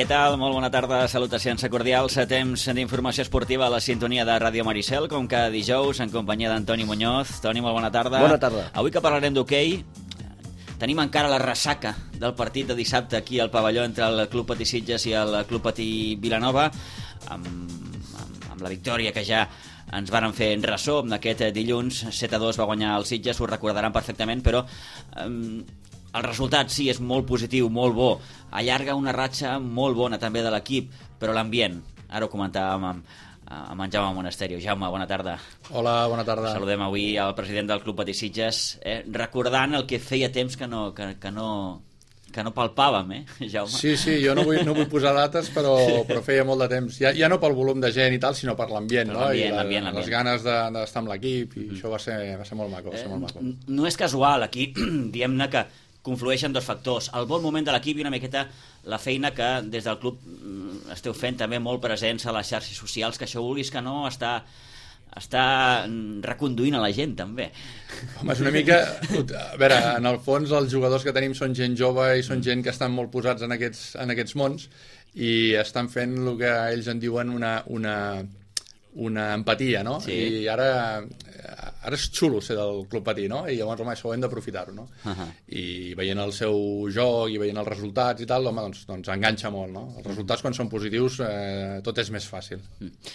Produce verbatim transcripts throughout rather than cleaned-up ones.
Què tal? Molt bona tarda, salutacions cordials. A temps d'informació esportiva a la sintonia de Ràdio Maricel, com cada dijous, en companyia d'Antoni Muñoz. Toni, molt bona tarda. Bona tarda. Avui que parlarem d'hoquei, tenim encara la ressaca del partit de dissabte aquí al pavelló entre el Club Patí Sitges i el Club Patí Vilanova, amb, amb, amb la victòria que ja ens varen fer en ressò aquest dilluns. set a dos va guanyar el Sitges, ho recordaran perfectament, però um, el resultat sí és molt positiu, molt bo, allarga una ratxa molt bona també de l'equip, però l'ambient, ara ho comentàvem amb, amb en Jaume Monasterio. Jaume, bona tarda. Hola, bona tarda. Saludem avui al president del Club Patí Sitges, eh, recordant el que feia temps que no, que, que no, que no palpàvem, eh, Jaume? Sí, sí, jo no vull, no vull posar dates, però, però feia molt de temps. Ja, ja no pel volum de gent i tal, sinó per l'ambient, no? I la, les ganes de, d'estar amb l'equip, i mm. això va ser, va ser molt maco. Va ser molt maco. Eh, no és casual, aquí, diem-ne que conflueixen dos factors. El bon moment de l'equip i una miqueta la feina que des del club esteu fent també molt presents a les xarxes socials, que això vulguis que no està, està reconduint a la gent també. Home, és una mica... A veure, en el fons els jugadors que tenim són gent jove i són gent que estan molt posats en aquests, en aquests mons i estan fent el que ells en diuen una... una una empatia, no? Sí. I ara ara és xulo ser del Club Patí, no? I llavors, home, això ho hem d'aprofitar-ho, no? Uh-huh. I veient el seu joc i veient els resultats i tal, home, doncs, doncs enganxa molt, no? Els resultats, quan són positius, eh, tot és més fàcil. Mm.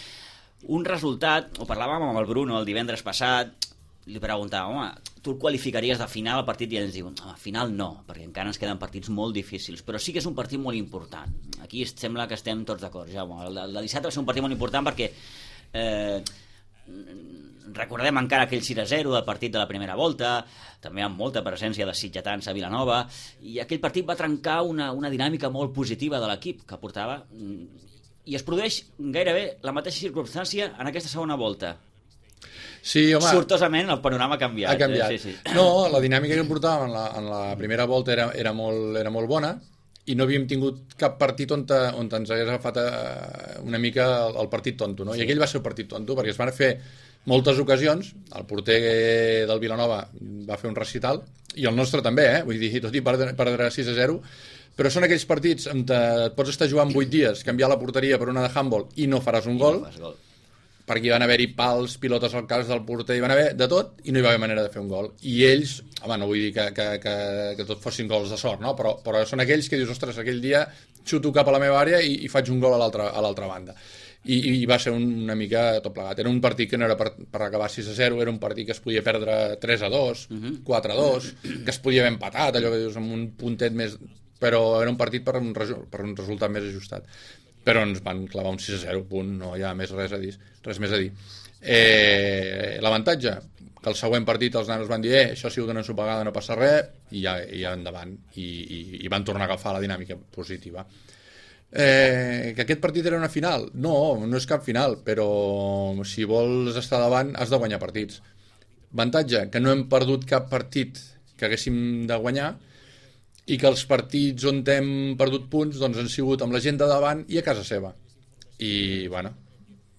Un resultat, ho parlàvem amb el Bruno el divendres passat, li preguntàvem, home, tu el qualificaries de final al partit? I ens diuen, home, final no, perquè encara ens queden partits molt difícils, però sí que és un partit molt important. Aquí sembla que estem tots d'acord, Jaume. El de dissabte va ser un partit molt important perquè Eh, recordem encara aquell sis a zero del partit de la primera volta, també amb molta presència de sitgetans a Vilanova, i aquell partit va trencar una, una dinàmica molt positiva de l'equip que portava, i es produeix gairebé la mateixa circumstància en aquesta segona volta. Sí, home, sortosament el panorama ha canviat. Ha canviat. Eh? Sí, sí. No, la dinàmica que portàvem en la, en la primera volta era, era, molt, era molt bona, i no havíem tingut cap partit on, te, on ens hagués agafat una mica el, el partit tonto, no? Sí. I aquell va ser el partit tonto, perquè es van fer moltes ocasions, el porter del Vilanova va fer un recital, i el nostre també, eh? Vull dir, tot i perdre, perdre sis a zero, però són aquells partits on te, et pots estar jugant vuit dies, canviar la porteria per una de handball i no faràs un gol, no gol, perquè hi van haver-hi pals, pilotes al cas del porter, hi van haver de tot, i no hi va haver manera de fer un gol. I ells, home, no vull dir que, que, que, que tot fossin gols de sort, no? però, però són aquells que dius, ostres, aquell dia xuto cap a la meva àrea i, i faig un gol a l'altra a l'altra banda. I, I va ser un, una mica tot plegat. Era un partit que no era per, per acabar sis a zero, era un partit que es podia perdre tres a dos, uh-huh. quatre a dos, que es podia haver empatat, allò que dius, amb un puntet més... Però era un partit per un, per un resultat més ajustat. Però ens van clavar un sis a zero, punt, no hi ha més res a dir. Res més a dir. Eh, l'avantatge, que el següent partit els nanos van dir, eh, això ha sigut una ensopegada, no passa res, i ja, i ja endavant, i, i, i van tornar a agafar la dinàmica positiva. Eh, que aquest partit era una final? No, no és cap final, però si vols estar davant has de guanyar partits. Avantatge, que no hem perdut cap partit que haguéssim de guanyar, i que els partits on hem perdut punts doncs han sigut amb la gent de davant i a casa seva. I, bueno,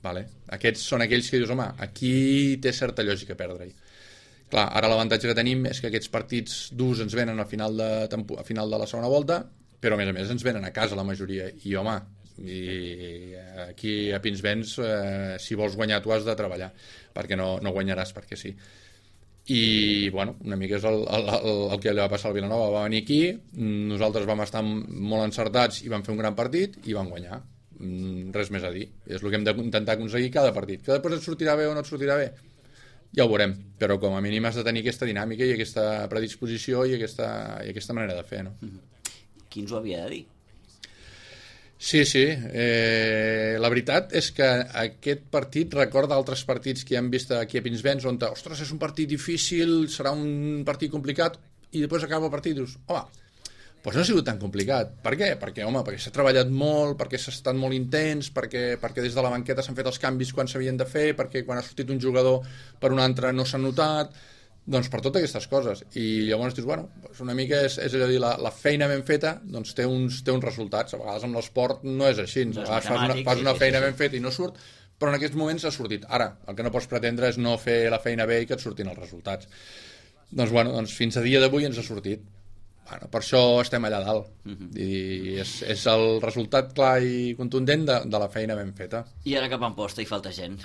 vale. Aquests són aquells que dius, home, aquí té certa lògica perdre-hi. Clar, ara l'avantatge que tenim és que aquests partits durs ens venen a final de, tempo, a final de la segona volta, però a més a més ens venen a casa la majoria. I, home, i aquí a Pinsbens, eh, si vols guanyar tu has de treballar, perquè no, no guanyaràs perquè sí. I, bueno, una mica és el, el, el, el que li va passar al Vilanova. Va venir aquí, nosaltres vam estar molt encertats i vam fer un gran partit i vam guanyar. Res més a dir. És el que hem d'intentar aconseguir cada partit. Que després et sortirà bé o no et sortirà bé, ja ho veurem. Però com a mínim has de tenir aquesta dinàmica i aquesta predisposició i aquesta, i aquesta manera de fer, no? Qui ens ho havia de dir? Sí, sí. Eh, la veritat és que aquest partit recorda altres partits que hem vist aquí a Pinsbens, on, ostres, és un partit difícil, serà un partit complicat, i després acaba el partit i dius, home, doncs no ha sigut tan complicat. Per què? Perquè, home, perquè s'ha treballat molt, perquè s'ha estat molt intens, perquè, perquè des de la banqueta s'han fet els canvis quan s'havien de fer, perquè quan ha sortit un jugador per un altre no s'ha notat... Doncs per totes aquestes coses. I llavors dius, bueno, doncs una mica és, és allò dir, la, la feina ben feta doncs té uns, té uns resultats. A vegades amb l'esport no és així. A vegades fas una, fas una feina ben feta i no surt, però en aquests moments ha sortit. Ara, el que no pots pretendre és no fer la feina bé i que et surtin els resultats. Doncs, bueno, doncs fins a dia d'avui ens ha sortit. Bueno, per això estem allà dalt. Uh-huh. I és, és el resultat clar i contundent de, de la feina ben feta. I ara cap a Amposta hi falta gent.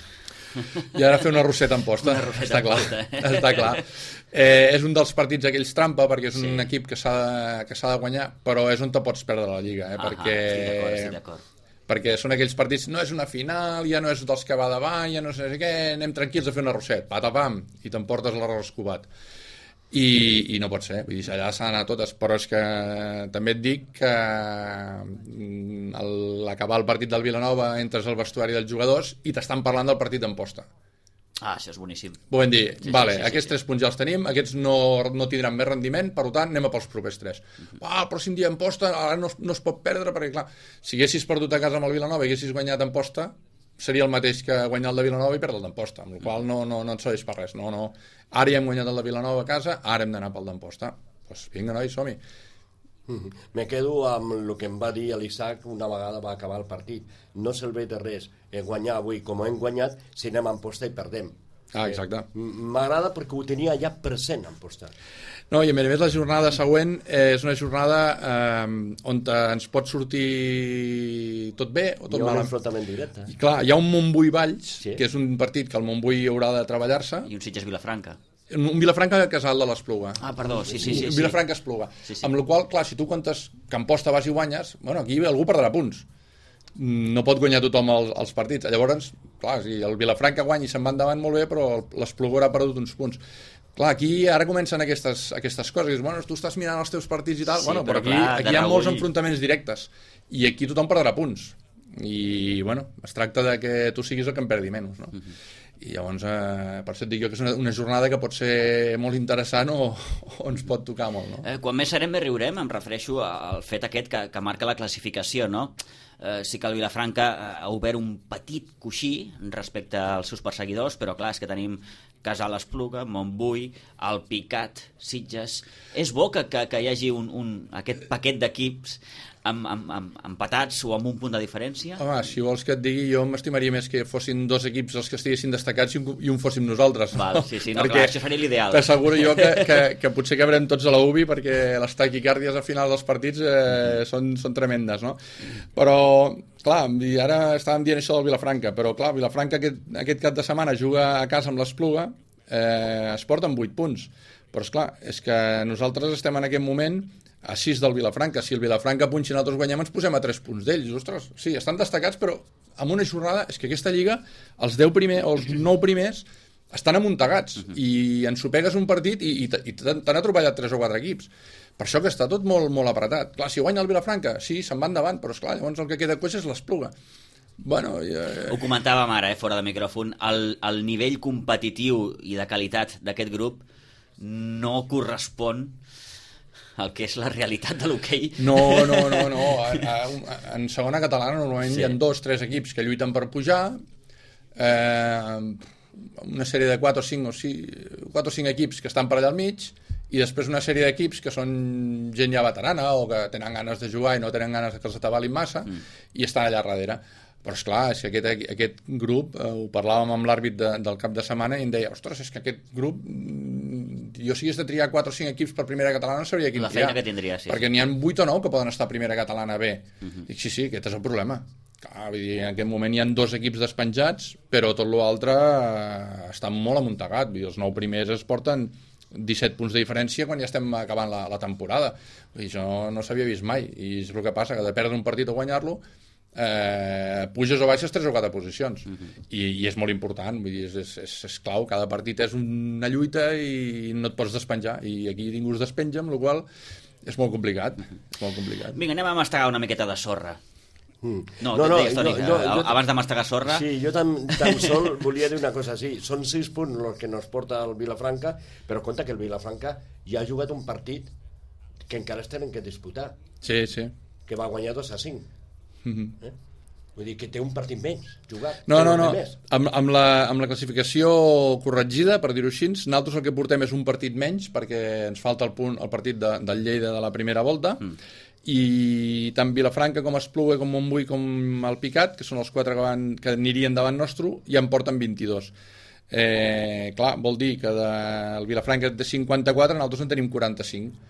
I ara fer una rosseta en posta, una rosseta està en clar. posta, eh? Està clar. Eh, és un dels partits aquells trampa, perquè és un Sí. equip que s'ha de, que s'ha de guanyar, però és on te pots perdre la Lliga, eh? Ah, perquè, estic d'acord, estic d'acord. perquè són aquells partits, no és una final, ja no és dels que va davant, ja no sé què, anem tranquils a fer una rosseta, patapam, i t'emportes l'arròs escobat. I, i no pot ser, vull dir, allà s'ha d'anar totes, però és que també et dic que mm, al acabar el partit del Vilanova entres al vestuari dels jugadors i t'estan parlant del partit d'Amposta. Ah, això és boníssim. Ho vam dir, Sí, sí, vale, sí, sí, aquests sí. tres punts ja els tenim, aquests no, no tindran més rendiment, per tant, anem a pels propers tres. Uh-huh. Ah, el pròxim dia Amposta, ara no, es- no es pot perdre, perquè clar, si haguessis perdut a casa amb el Vilanova i haguessis guanyat Amposta, seria el mateix que guanyar el de Vilanova i perdre el d'Amposta, amb la qual no, no, no et serveix per res. No, no. Ara ja hem guanyat el de Vilanova a casa, ara hem d'anar pel d'Amposta. Doncs pues vinga, nois, som-hi. Mm-hmm. Me quedo amb el que em va dir l'Isaac una vegada va acabar el partit. No serveix de res eh, guanyar avui com hem guanyat si anem a Amposta i perdem. Ah, exacte. Eh, M'agrada perquè ho tenia ja present Amposta. No, i a més a més la jornada següent eh, és una jornada eh, on te, ens pot sortir tot bé o tot Hi ha un malament. enfrontament directe. I clar, hi ha un Montbui-Valls, Sí. que és un partit que el Montbui haurà de treballar-se, I un Sitges Vilafranca. un Vilafranca Casal de l'Espluga. Ah, perdó, sí, sí, sí. sí. Vilafranca Espluga. Sí, sí. Amb la qual, clar, si tu comptes que Amposta vas i guanyes, bueno, aquí algú perdrà punts. No pot guanyar tothom els, els partits. Llavors, clar, si el Vilafranca guanya i se'n va endavant molt bé, però l'Espluga haurà perdut uns punts. Clar, aquí ara comencen aquestes, aquestes coses. Dius, bueno, tu estàs mirant els teus partits i tal, Sí, bueno, però, però aquí, clar, aquí de hi ha molts reüll. enfrontaments directes. I aquí tothom perdrà punts. I, bueno, es tracta de que tu siguis el que en perdi menys, no? Uh-huh. I llavors, eh, per això et dic jo que és una, una jornada que pot ser molt interessant o, o ens pot tocar molt, no? Eh, quan més serem, més riurem. Em refereixo al fet aquest que, que marca la classificació, no? Eh, sí que el Vilafranca ha obert un petit coixí respecte als seus perseguidors, però clar, és que tenim Casal Espluga, Montbui, el Picat, Sitges... És bo que, que, que hi hagi un, un, aquest paquet d'equips amb, amb, amb, empatats o amb un punt de diferència. Home, si vols que et digui, jo m'estimaria més que fossin dos equips els que estiguessin destacats i un, i un fóssim nosaltres. Val, sí, sí, no, clar, això seria l'ideal. T'asseguro jo que, que, que potser cabrem tots a la U B I perquè les taquicàrdies al final dels partits eh, són, són tremendes, no? Però, clar, i ara estàvem dient això del Vilafranca, però clar, Vilafranca aquest, aquest cap de setmana juga a casa amb l'Espluga, eh, es porten vuit punts. Però, esclar, és que nosaltres estem en aquest moment a sis del Vilafranca. Si el Vilafranca punxa i nosaltres guanyem, ens posem a tres punts d'ells. Ostres, sí, estan destacats, però amb una jornada... És que aquesta lliga, els deu primers o els nou primers estan amuntegats uh-huh. i ens ho pegues un partit i, i, i t'han atropellat tres o quatre equips. Per això que està tot molt, molt apretat. Clar, si guanya el Vilafranca, sí, se'n va endavant, però esclar, llavors el que queda coix és l'Espluga. Bueno, eh... Ho comentàvem ara, eh, fora de micròfon, el, el nivell competitiu i de qualitat d'aquest grup no correspon al que és la realitat de l'hoquei. No, no, no, no. A, a, a, en segona catalana normalment sí. Hi ha dos, tres equips que lluiten per pujar, eh, una sèrie de quatre o cinc o quatre o cinc equips que estan per allà al mig, i després una sèrie d'equips que són gent ja veterana o que tenen ganes de jugar i no tenen ganes que els atabalin massa mm. i estan allà darrere. Però esclar, és que aquest, aquest grup, eh, ho parlàvem amb l'àrbit de, del cap de setmana i em deia, ostres, és que aquest grup, jo si hagués de triar quatre o cinc equips per primera catalana no sabria quin la triar. feina que tindria, sí. Perquè n'hi ha vuit o nou que poden estar a primera catalana bé. Uh-huh. Dic, sí, sí, aquest és el problema. Clar, vull dir, en aquest moment hi ha dos equips despenjats, però tot l'altre eh, està molt amuntegat. Vull dir, els nou primers es porten disset punts de diferència quan ja estem acabant la, la temporada. Vull dir, això no s'havia vist mai. I és el que passa, que de perdre un partit o guanyar-lo, eh, puges o baixes tres o quatre posicions. Uh-huh. I, i és molt important. Vull dir, és, és, és, és clau. Cada partit és una lluita i no et pots despenjar. I aquí ningú es despenja, amb la qual és molt complicat. Uh-huh. És molt complicat. Vinga, anem a mastegar una miqueta de sorra. Mm. No, no, no, deies, Toni, no, jo, jo, abans de mastegar sorra... Sí, jo tan, tan sol volia dir una cosa així. Són sis punts els que nos porta el Vilafranca, però compte que el Vilafranca ja ha jugat un partit que encara es tenen que disputar. Sí, sí. Que va guanyar dos a cinc. Mm-hmm. eh? Vull dir que té un partit menys jugat. No, no, no. Amb, amb, la, amb la classificació corregida, per dir-ho així, nosaltres el que portem és un partit menys, perquè ens falta el, punt, el partit de, del Lleida de la primera volta, mm. i tant Vilafranca com Espluga, com Montbui, com el Picat, que són els quatre que, van, que anirien davant nostre, ja en porten vint-i-dos. Eh, clar, vol dir que de, el Vilafranca té cinquanta-quatre, nosaltres en tenim quaranta-cinc.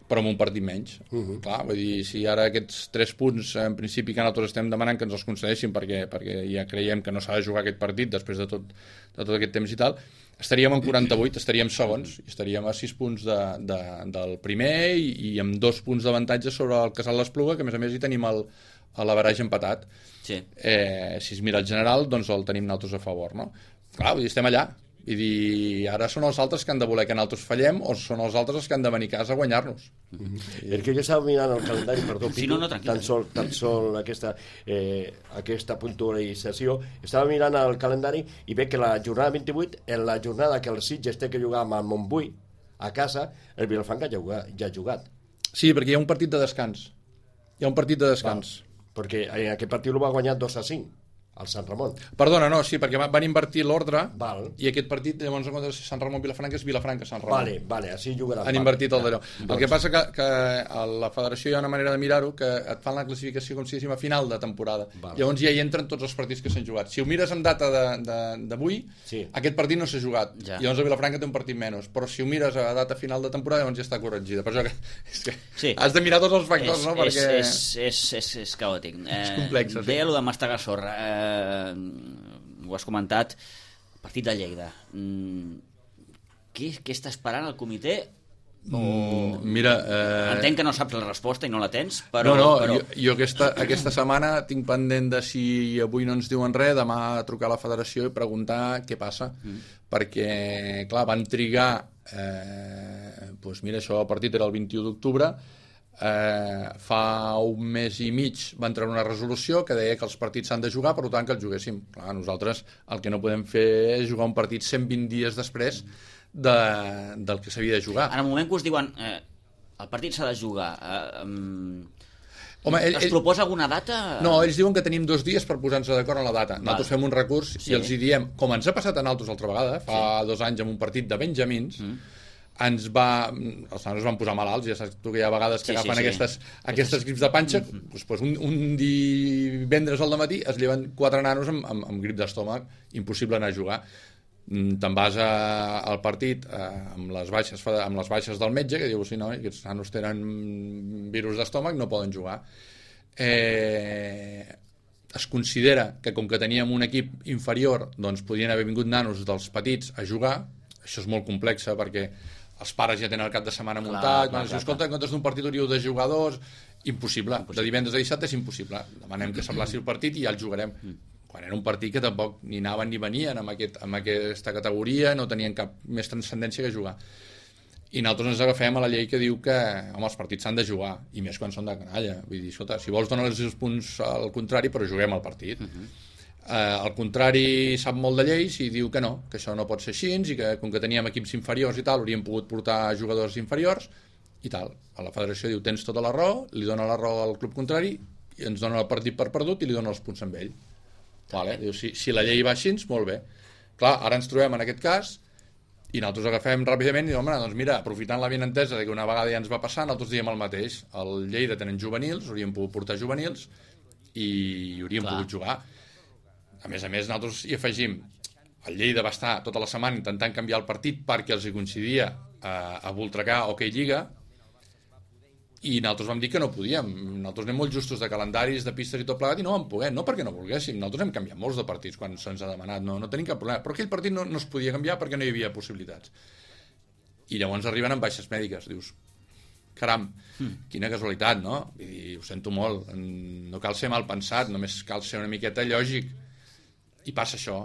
però amb un partit menys. Uh -huh. Clar, vull dir, si ara aquests tres punts, en principi, que nosaltres estem demanant que ens els concedeixin perquè, perquè ja creiem que no s'ha de jugar aquest partit després de tot, de tot aquest temps i tal, estaríem en quaranta-vuit, estaríem segons, i estaríem a sis punts de, de, del primer i, i amb dos punts d'avantatge sobre el Casal l'Espluga, que a més a més hi tenim el, l'averaix empatat. Sí. Eh, si es mira el general, doncs el tenim nosaltres a favor, no? Clar, vull dir, estem allà. I dir, ara són els altres que han de voler que nosaltres fallem o són els altres els que han de venir a casa a guanyar-nos. Mm-hmm. El que jo estava mirant el calendari, perdó, sí, no, no, tan sol, tan sol aquesta, eh, aquesta puntualització, estava mirant el calendari i veig que la jornada vint-i-vuit, en la jornada que el Sitges té que jugar amb el Montbui a casa, el Vilafranca ja, ja ha jugat. Sí, perquè hi ha un partit de descans. Hi ha un partit de descans. Val, perquè en aquest partit el va guanyar dos a cinc. Al Sant Ramon. Perdona, no, sí, perquè van invertir l'ordre i aquest partit, llavors, en comptes de Sant Ramon-Vilafranca, és Vilafranca-Sant Ramon. Vale, vale, així jugaran. Han invertit el d'allò. El que passa que, que a la federació hi ha una manera de mirar-ho que et fan la classificació com si diguéssim a final de temporada. Vale. Llavors ja hi entren tots els partits que s'han jugat. Si ho mires amb data d'avui, sí. Aquest partit no s'ha jugat. Ja. Llavors a Vilafranca té un partit menys. Però si ho mires a data final de temporada, llavors ja està corregida. Per això que, és que sí. Has de mirar tots els factors, és, no? Perquè... És, és, és, és caòtic. Eh, és complex. Sí. Deia allò de mastegar sorra. Eh, ho has comentat, partit de Lleida. Mm, què, què està esperant el comitè? O... Mm, mira... Eh... Entenc que no saps la resposta i no la tens, però... No, no, però... jo, jo aquesta, aquesta setmana tinc pendent de si avui no ens diuen res, demà trucar a la federació i preguntar què passa, mm. perquè, clar, van trigar... Eh, doncs mira, això, el partit era el vint-i-u d'octubre, Eh, fa un mes i mig van treure una resolució que deia que els partits s'han de jugar, per tant que els juguéssim. Clar, nosaltres el que no podem fer és jugar un partit cent vint dies després de, del que s'havia de jugar. En el moment que us diuen eh, el partit s'ha de jugar, eh, um, Home, ell, es proposa alguna data? No, ells diuen que tenim dos dies per posar-nos d'acord en la data. Nosaltres fem un recurs sí. i els hi diem, com ens ha passat a nosaltres altra vegada, fa sí. dos anys amb un partit de Benjamins, mm. ens va... els nanos van posar malalts, ja saps tu que hi ha vegades que sí, agafen sí, sí. aquestes, aquestes grips de panxa, mm -hmm. doncs, doncs un, un divendres al matí es lleven quatre nanos amb, amb, amb grip d'estómac, impossible anar a jugar. Te'n vas a, al partit eh, amb, les baixes, amb les baixes del metge, que diu, sí, no, aquests nanos tenen virus d'estómac, no poden jugar. Eh... Es considera que com que teníem un equip inferior, doncs podien haver vingut nanos dels petits a jugar. Això és molt complex perquè els pares ja tenen el cap de setmana muntat, clar, clar, clar, escolta, en comptes d'un partit hauríeu de jugar dos, impossible. impossible, de divendres a dissabte és impossible, demanem que s'aplaci el partit i ja el jugarem, mm. quan era un partit que tampoc ni anaven ni venien amb, aquest, amb aquesta categoria, no tenien cap més transcendència que jugar, i nosaltres ens agafem a la llei que diu que home, els partits s'han de jugar, i més quan són de canalla, vull dir, escolta, si vols donar els punts al contrari, però juguem el partit. Mm-hmm. Eh, al contrari sap molt de lleis i diu que no, que això no pot ser així i que com que teníem equips inferiors i tal hauríem pogut portar jugadors inferiors i tal. A la federació diu tens tota la raó, li dona la raó al club contrari i ens dona el partit per perdut i li dona els punts amb ell. Vale? Diu, si, si la llei va així, molt bé. Clar, ara ens trobem en aquest cas i nosaltres agafem ràpidament i diem, home, doncs mira, aprofitant la benentesa que una vegada ja ens va passar, nosaltres diem el mateix. El Lleida tenen juvenils, hauríem pogut portar juvenils i hauríem Clar. pogut jugar. A més a més, nosaltres hi afegim el Lleida va estar tota la setmana intentant canviar el partit perquè els hi coincidia a, a Voltregà o que Lliga i nosaltres vam dir que no podíem. Nosaltres anem molt justos de calendaris, de pistes i tot plegat i no vam poder, no perquè no volguéssim. Nosaltres hem canviat molts de partits quan se'ns ha demanat, no, no tenim cap problema. Però aquell partit no, no es podia canviar perquè no hi havia possibilitats. I llavors arriben amb baixes mèdiques. Dius, caram, quina casualitat, no? Vull dir, ho sento molt, no cal ser mal pensat, només cal ser una miqueta lògic. I passa això.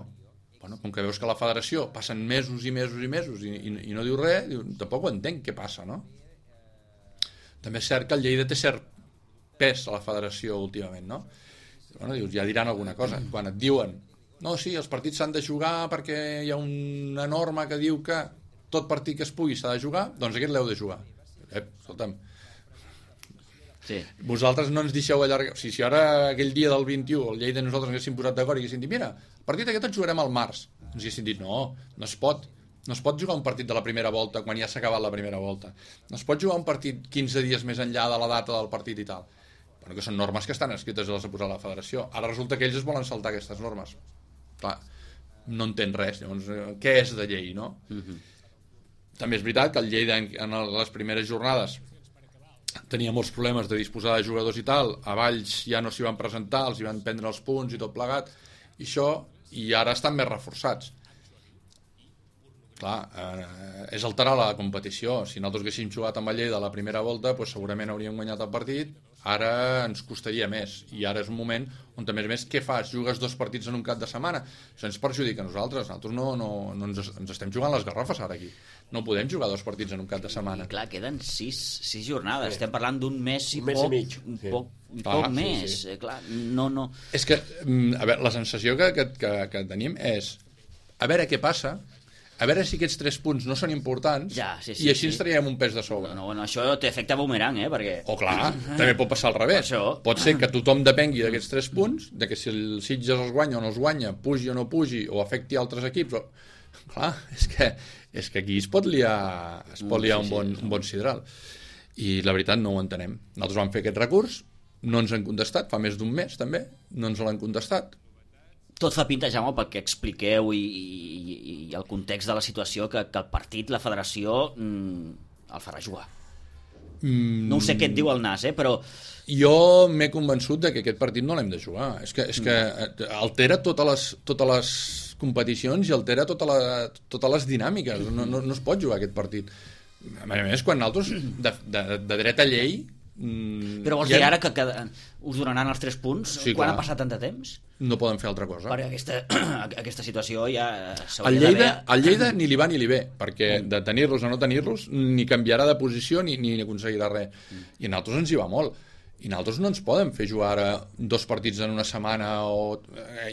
Bueno, com que veus que a la federació passen mesos i mesos i mesos i, i, i no diu res, diu, tampoc ho entenc què passa, no? També és cert que el Lleida té cert pes a la federació últimament, no? Bueno, dius, ja diran alguna cosa. Quan et diuen, no, sí, els partits s'han de jugar perquè hi ha una norma que diu que tot partit que es pugui s'ha de jugar, doncs aquest l'heu de jugar. Eh, escolta'm, sí. Vosaltres no ens deixeu allargar. O sigui, si ara aquell dia del vint-i-u el Lleida i nosaltres haguéssim posat d'acord i haguéssim dit, mira, el partit aquest el jugarem al març, ens haguéssim dit, no, no es pot. No es pot jugar un partit de la primera volta quan ja s'ha acabat la primera volta. No es pot jugar un partit quinze dies més enllà de la data del partit i tal. Bueno, que són normes que estan escrites i les ha posat la federació. Ara resulta que ells es volen saltar aquestes normes. Clar, no entén res. Llavors, què és de llei, no? Uh-huh. També és veritat que el Lleida en les primeres jornades tenia molts problemes de disposar de jugadors i tal, a Valls ja no s'hi van presentar, els hi van prendre els punts i tot plegat, i això, i ara estan més reforçats. Clar, eh, és alterar la competició. Si nosaltres haguéssim jugat amb el Lleida a la primera volta, doncs segurament hauríem guanyat el partit, ara ens costaria més, i ara és un moment on, a més a més, què fas? Jugues dos partits en un cap de setmana? Això ens perjudica a nosaltres, nosaltres no, no, no ens, ens estem jugant les garrofes ara aquí, no podem jugar dos partits en un cap de setmana. I clar, queden sis, sis jornades, sí. Estem parlant d'un mes i un mes poc, i mig, un sí. poc, un Clar, poc sí, més, sí. clar, no, no... És que, a veure, la sensació que, que, que, que tenim és a veure què passa, a veure si aquests tres punts no són importants, ja, sí, sí, i així sí. ens traiem un pes de sobre. No, bueno, això té efecte boomerang, eh? Perquè... O clar, també pot passar al revés. Pot ser que tothom depengui d'aquests tres punts, de que si el Sitges els guanya o no els guanya, pugi o no pugi, o afecti altres equips, o... clar, és que, és que aquí es pot liar, es pot liar un, bon, un bon sidral. I la veritat no ho entenem. Nosaltres vam fer aquest recurs, no ens han contestat, fa més d'un mes també, no ens l'han contestat. Tot fa pinta, Jaume, pel que expliqueu i, i, i el context de la situació, que, que el partit, la federació, mm, el farà jugar. Mm. No ho sé què et diu el Nas, eh, però... Jo m'he convençut de que aquest partit no l'hem de jugar. És que, és que altera totes les, totes les competicions i altera tota la, totes les dinàmiques. No, no, no es pot jugar aquest partit. A més a més, quan nosaltres, de, de, de dret a llei... Mm, però vols ja... dir ara que, que us donaran els tres punts? Sí, quan clar. ha passat tant de temps? No poden fer altra cosa. Perquè aquesta, aquesta situació ja el Lleida, el Lleida ni li va ni li ve, perquè de tenir-los o no tenir-los ni canviarà de posició ni, ni aconseguirà res. I a nosaltres ens hi va molt. I nosaltres no ens poden fer jugar ara dos partits en una setmana o...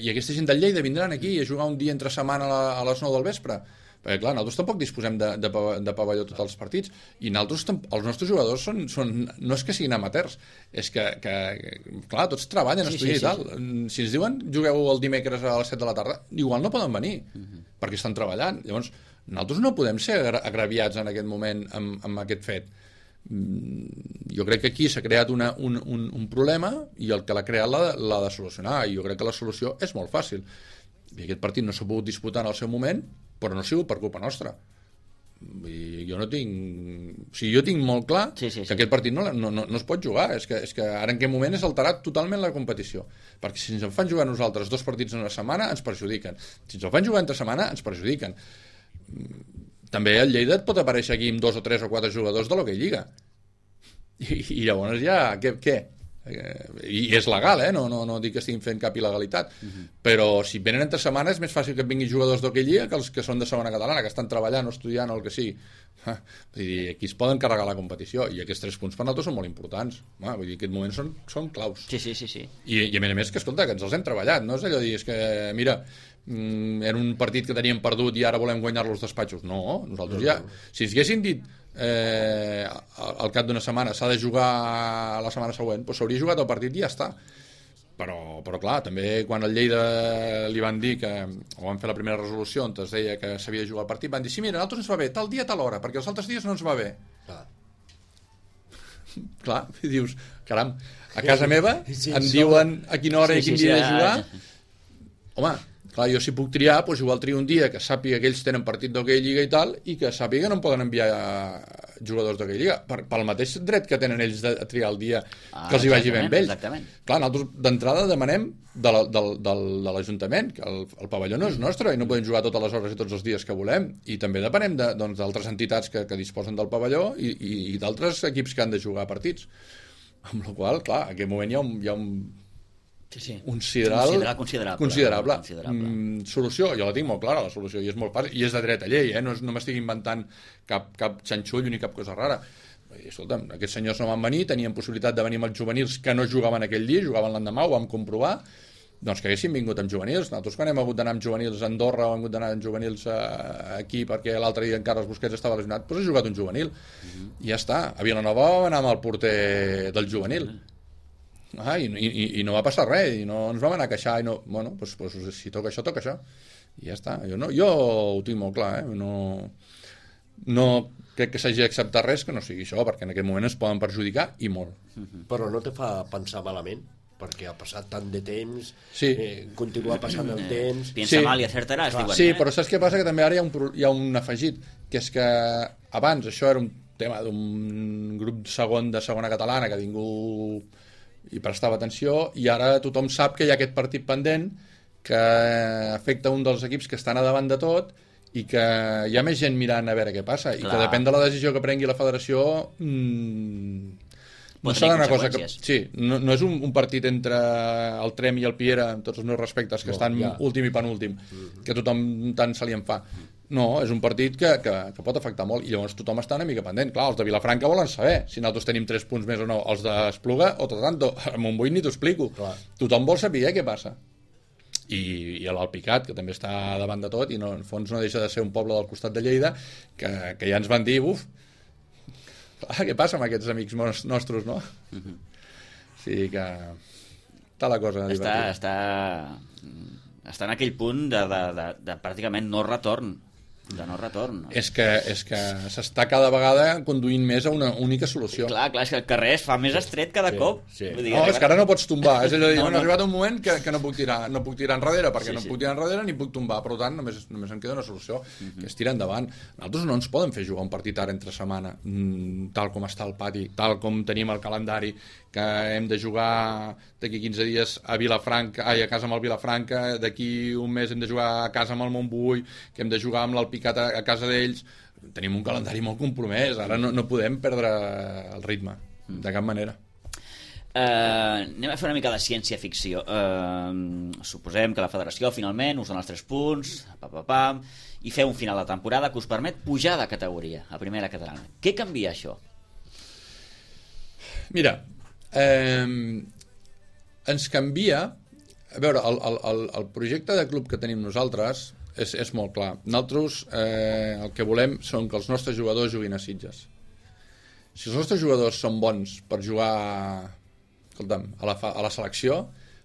i aquesta gent del Lleida vindran aquí a jugar un dia entre setmana a, la, a les nou del vespre. Perquè clar, nosaltres tampoc disposem de, de, de pavelló tots els partits, i nosaltres, els nostres jugadors són, són, no és que siguin amateurs, és que, que clar, tots treballen, sí, estudien sí, i tal. Sí, sí. Si ens diuen jugueu el dimecres a les set de la tarda, igual no poden venir, uh-huh. perquè estan treballant. Llavors, nosaltres no podem ser agraviats en aquest moment amb, amb aquest fet. Jo crec que aquí s'ha creat una, un, un, un problema, i el que l'ha creat l'ha, l'ha de solucionar, i jo crec que la solució és molt fàcil. I aquest partit no s'ha pogut disputar en el seu moment, però no ha sigut per culpa nostra. I jo no tinc... O sigui, jo tinc molt clar sí, sí, sí. que aquest partit no, no, no, no es pot jugar. És que, és que ara en aquest moment és alterat totalment la competició. Perquè si ens en fan jugar nosaltres dos partits en una setmana, ens perjudiquen. Si ens en fan jugar entre setmana, ens perjudiquen. També el Lleida et pot aparèixer aquí amb dos o tres o quatre jugadors de l'Hockey Lliga. I, i llavors ja... Què? què? I és legal, eh? no, no, no dic que estiguin fent cap il·legalitat, uh-huh. però si venen entre setmanes és més fàcil que et vinguin jugadors d'Hockey Lliga que els que són de segona catalana, que estan treballant o estudiant o el que sigui. Ah, vull dir, aquí es poden carregar la competició, i aquests tres punts per nosaltres són molt importants. Ah, vull dir, en aquest moment són, són claus. Sí, sí, sí, sí. I, i a més a més que, escolta, que ens els hem treballat, no és allò de dir, és que, mira, mm, era un partit que teníem perdut i ara volem guanyar-lo als despatxos. No, nosaltres ja... Si ens haguessin dit Eh, al cap d'una setmana s'ha de jugar la setmana següent, doncs s'hauria jugat el partit i ja està. Però, però clar, també quan al Lleida li van dir que, o van fer la primera resolució on es deia que s'havia de jugar el partit, van dir, sí, mira, a nosaltres ens va bé tal dia, tal hora, perquè els altres dies no ens va bé. Clar, clar, i dius, caram, a casa meva sí, em som... diuen a quina hora sí, i quin sí, dia sí, de jugar. Home, clar, jo si puc triar, doncs igual trio un dia que sàpiga que ells tenen partit d'Hockey Lliga i tal, i que sàpiga que no em poden enviar jugadors d'Hockey Lliga, per, pel mateix dret que tenen ells de triar el dia ah, que els hi vagi bé amb ells. Exactament. Clar, nosaltres d'entrada demanem de, la, de, de, de l'Ajuntament, que el, el pavelló no és nostre i no podem jugar totes les hores i tots els dies que volem, i també depenem de, doncs, d'altres entitats que, que disposen del pavelló i, i, i d'altres equips que han de jugar partits. Amb la qual cosa, clar, en aquest moment hi ha un, hi ha un Sí, sí. un sidral considerable, considerable. considerable. considerable. Mm, solució, jo la tinc molt clara, la solució, i és molt fàcil, i és de dret a llei, eh? no, és, no m'estic inventant cap, cap xanxull ni cap cosa rara. I, escolta'm, aquests senyors no van venir, tenien possibilitat de venir amb els juvenils que no jugaven aquell dia, jugaven l'endemà, ho vam comprovar, doncs que haguessin vingut amb juvenils. Nosaltres quan hem hagut d'anar amb juvenils a Andorra o hem hagut d'anar amb juvenils aquí perquè l'altre dia encara els Busquets estava lesionat, doncs ha jugat un juvenil. Uh-huh. I ja està. A Vilanova vam anar amb el porter del juvenil. Uh-huh. Ah, i, i, i no va passar res, i no ens vam anar a queixar, i no, bueno, pues, pues, si toca això, toca això, i ja està. Jo, no, jo ho tinc molt clar, eh? no, no crec que s'hagi d'acceptar res que no sigui això, perquè en aquest moment es poden perjudicar, i molt. Però no te fa pensar malament? Perquè ha passat tant de temps, sí. eh, continua passant el temps... Piensa sí. mal i acertaràs, diuen. Sí, eh? però saps què passa? Que també ara hi ha un, hi ha un afegit, que és que abans això era un tema d'un grup segon de segona catalana que ningú hi prestava atenció, i ara tothom sap que hi ha aquest partit pendent que afecta un dels equips que estan a davant de tot i que hi ha més gent mirant a veure què passa. Clar. I que depèn de la decisió que prengui la federació, mmm, no serà una cosa que... Sí, no, no és un, un partit entre el Trem i el Piera, amb tots els meus respectes, que no, estan ja. últim i penúltim, mm-hmm. que tothom tant se li en fa. No, és un partit que, que, que pot afectar molt, i llavors tothom està una mica pendent. Clar, els de Vilafranca volen saber si nosaltres tenim tres punts més o no. Els d'Espluga, o tot tanto, a Montbui ni t'ho explico. Clar. Tothom vol saber què passa. I, i l'Alpicat, que també està davant de tot, i no, en fons no deixa de ser un poble del costat de Lleida, que, que ja ens van dir, uf, clar, què passa amb aquests amics nostres, no? Mm-hmm. Sí que està la cosa divertida. Està, està, està en aquell punt de, de, de, de pràcticament no retorn. De no retorn. No? És que, és que s'està cada vegada conduint més a una única solució. I clar, clar, és que el carrer es fa més estret cada sí, cop. Sí. Vull dir, no, és que ara no pots tombar. És a dir, no, no. ha arribat un moment que, que no puc tirar no puc tirar enrere, perquè sí, no sí. puc tirar enrere ni puc tombar. Per tant, només, només em queda una solució, uh-huh. que és tirar endavant. Nosaltres no ens podem fer jugar un partit ara entre setmana, mmm, tal com està el pati, tal com tenim el calendari, que hem de jugar d'aquí quinze dies a Vilafranca, ai, a casa amb el Vilafranca, d'aquí un mes hem de jugar a casa amb el Montbui, que hem de jugar amb l'Alpicat a, a casa d'ells. Tenim un calendari molt compromès, ara no, no podem perdre el ritme, de cap manera. Uh, anem a fer una mica de ciència-ficció. Uh, suposem que la federació finalment us dona els tres punts, pa, pa, pa, i feu un final de temporada que us permet pujar de categoria a primera catalana. Què canvia això? Mira, eh, ens canvia... A veure, el, el, el projecte de club que tenim nosaltres és, és molt clar. Nosaltres eh, el que volem són que els nostres jugadors juguin a Sitges. Si els nostres jugadors són bons per jugar, escolta'm, a la, a la selecció,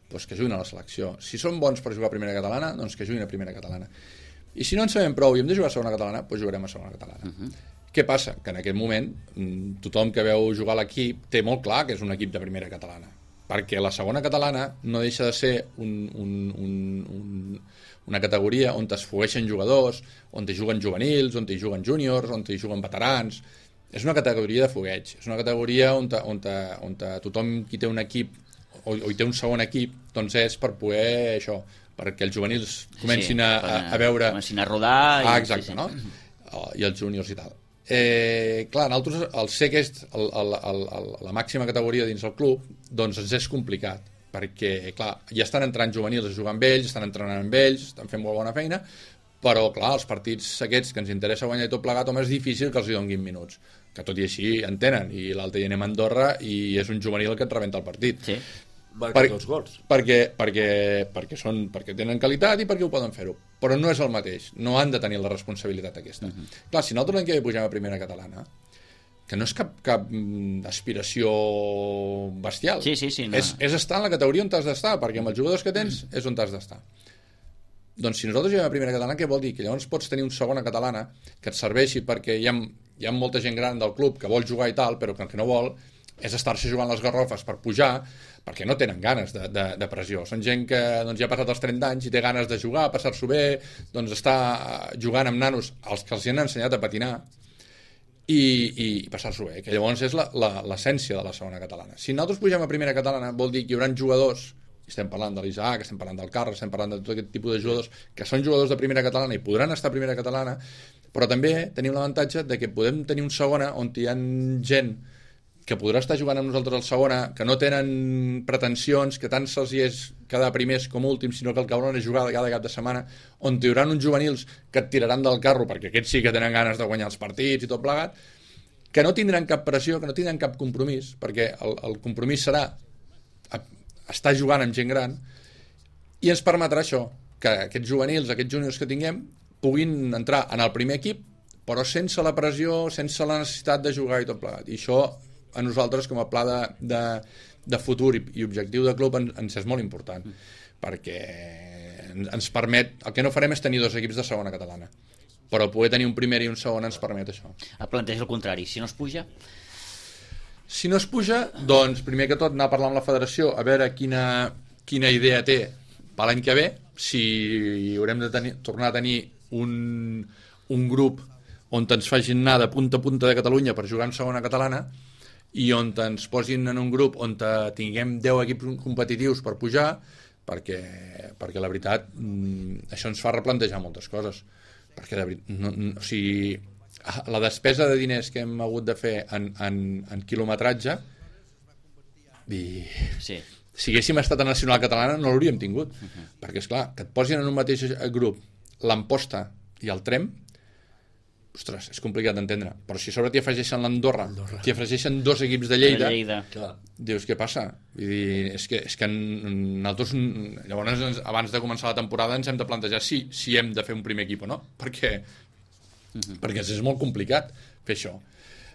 doncs que juguin a la selecció. Si són bons per jugar a primera catalana, doncs que juguin a primera catalana. I si no en sabem prou i hem de jugar a segona catalana, doncs jugarem a segona catalana. Uh-huh. Què passa? Que en aquest moment tothom que veu jugar l'equip té molt clar que és un equip de primera catalana, perquè la segona catalana no deixa de ser un, un, un, un, una categoria on es fogueixen jugadors, on hi juguen juvenils, on hi juguen júniors, on hi juguen veterans. És una categoria de fogueig, és una categoria on, ta, on, ta, on ta, tothom qui té un equip o, o hi té un segon equip, doncs és per poder això, perquè els juvenils comencin sí, a, a, a veure... Comencin a rodar... Ah, exacte, sí, sí. no? I els júniors i tal. Eh, clar, nosaltres, el ser aquest, el, el, el, el, la màxima categoria dins el club, doncs ens és complicat, perquè, clar, ja estan entrant juvenils a jugar amb ells, estan entrenant amb ells, estan fent molt bona feina, però, clar, els partits aquests que ens interessa guanyar i tot plegat, home, és difícil que els hi donguin minuts, que tot i així en tenen, i l'altre dia anem a Andorra i és un juvenil que et rebenta el partit. Sí. Per, dos gols. Perquè, perquè, perquè, són, perquè tenen qualitat i perquè ho poden fer-ho. Però no és el mateix. No han de tenir la responsabilitat aquesta. Uh-huh. Clar, si nosaltres l'any que ve pugem a primera catalana, que no és cap, cap aspiració bestial. Sí, sí, sí, no. És, és estar en la categoria on t'has d'estar, perquè amb els jugadors que tens és on t'has d'estar. Doncs si nosaltres juguem a primera catalana, què vol dir? Que llavors pots tenir una segona catalana que et serveixi perquè hi ha, hi ha molta gent gran del club que vol jugar i tal, però que el que no vol és estar-se jugant les garrofes per pujar, perquè no tenen ganes de, de, de pressió. Són gent que doncs, ja ha passat els trenta anys i té ganes de jugar, passar-s'ho bé, doncs està jugant amb nanos als que els han ensenyat a patinar i, i passar-s'ho bé, que llavors és l'essència de la segona catalana. Si nosaltres pugem a primera catalana vol dir que hi haurà jugadors, estem parlant de l'Isaac, estem parlant del Carles, estem parlant de tot aquest tipus de jugadors que són jugadors de primera catalana i podran estar a primera catalana, però també tenim l'avantatge de que podem tenir un segona on hi ha gent que podrà estar jugant amb nosaltres al segona, que no tenen pretensions, que tant se'ls hi és quedar primers com últims, sinó que el que hauran és jugar cada cap de setmana, on hi haurà uns juvenils que et tiraran del carro, perquè aquests sí que tenen ganes de guanyar els partits i tot plegat, que no tindran cap pressió, que no tindran cap compromís, perquè el, el compromís serà estar jugant amb gent gran, i ens permetrà això, que aquests juvenils, aquests júniors que tinguem, puguin entrar en el primer equip, però sense la pressió, sense la necessitat de jugar i tot plegat. I això a nosaltres com a pla de, de, de futur i, i objectiu de club ens, ens és molt important, mm. perquè ens permet, el que no farem és tenir dos equips de segona catalana, però poder tenir un primer i un segon ens permet això. Et planteja el contrari, si no es puja? Si no es puja, doncs primer que tot anar a parlar amb la federació a veure quina, quina idea té per l'any que ve, si haurem de tenir, tornar a tenir un, un grup on ens facin anar de punta a punta de Catalunya per jugar en segona catalana i on ens posin en un grup on tinguem deu equips competitius per pujar, perquè, perquè la veritat això ens fa replantejar moltes coses, perquè de veritat, no, no, o sigui, la despesa de diners que hem hagut de fer en, en, en quilometratge i... Sí. Si haguéssim estat a Nacional Catalana no l'hauríem tingut, uh-huh. perquè és clar, que et posin en un mateix grup l'Amposta i el Trem, ostres, és complicat d'entendre, però si a sobre t'hi afegeixen l'Andorra, t'hi afegeixen dos equips de Lleida, de Lleida. Dius, què passa? Vull dir, és que, és que nosaltres, llavors, abans de començar la temporada ens hem de plantejar si, si hem de fer un primer equip o no, perquè, uh-huh. perquè és molt complicat fer això.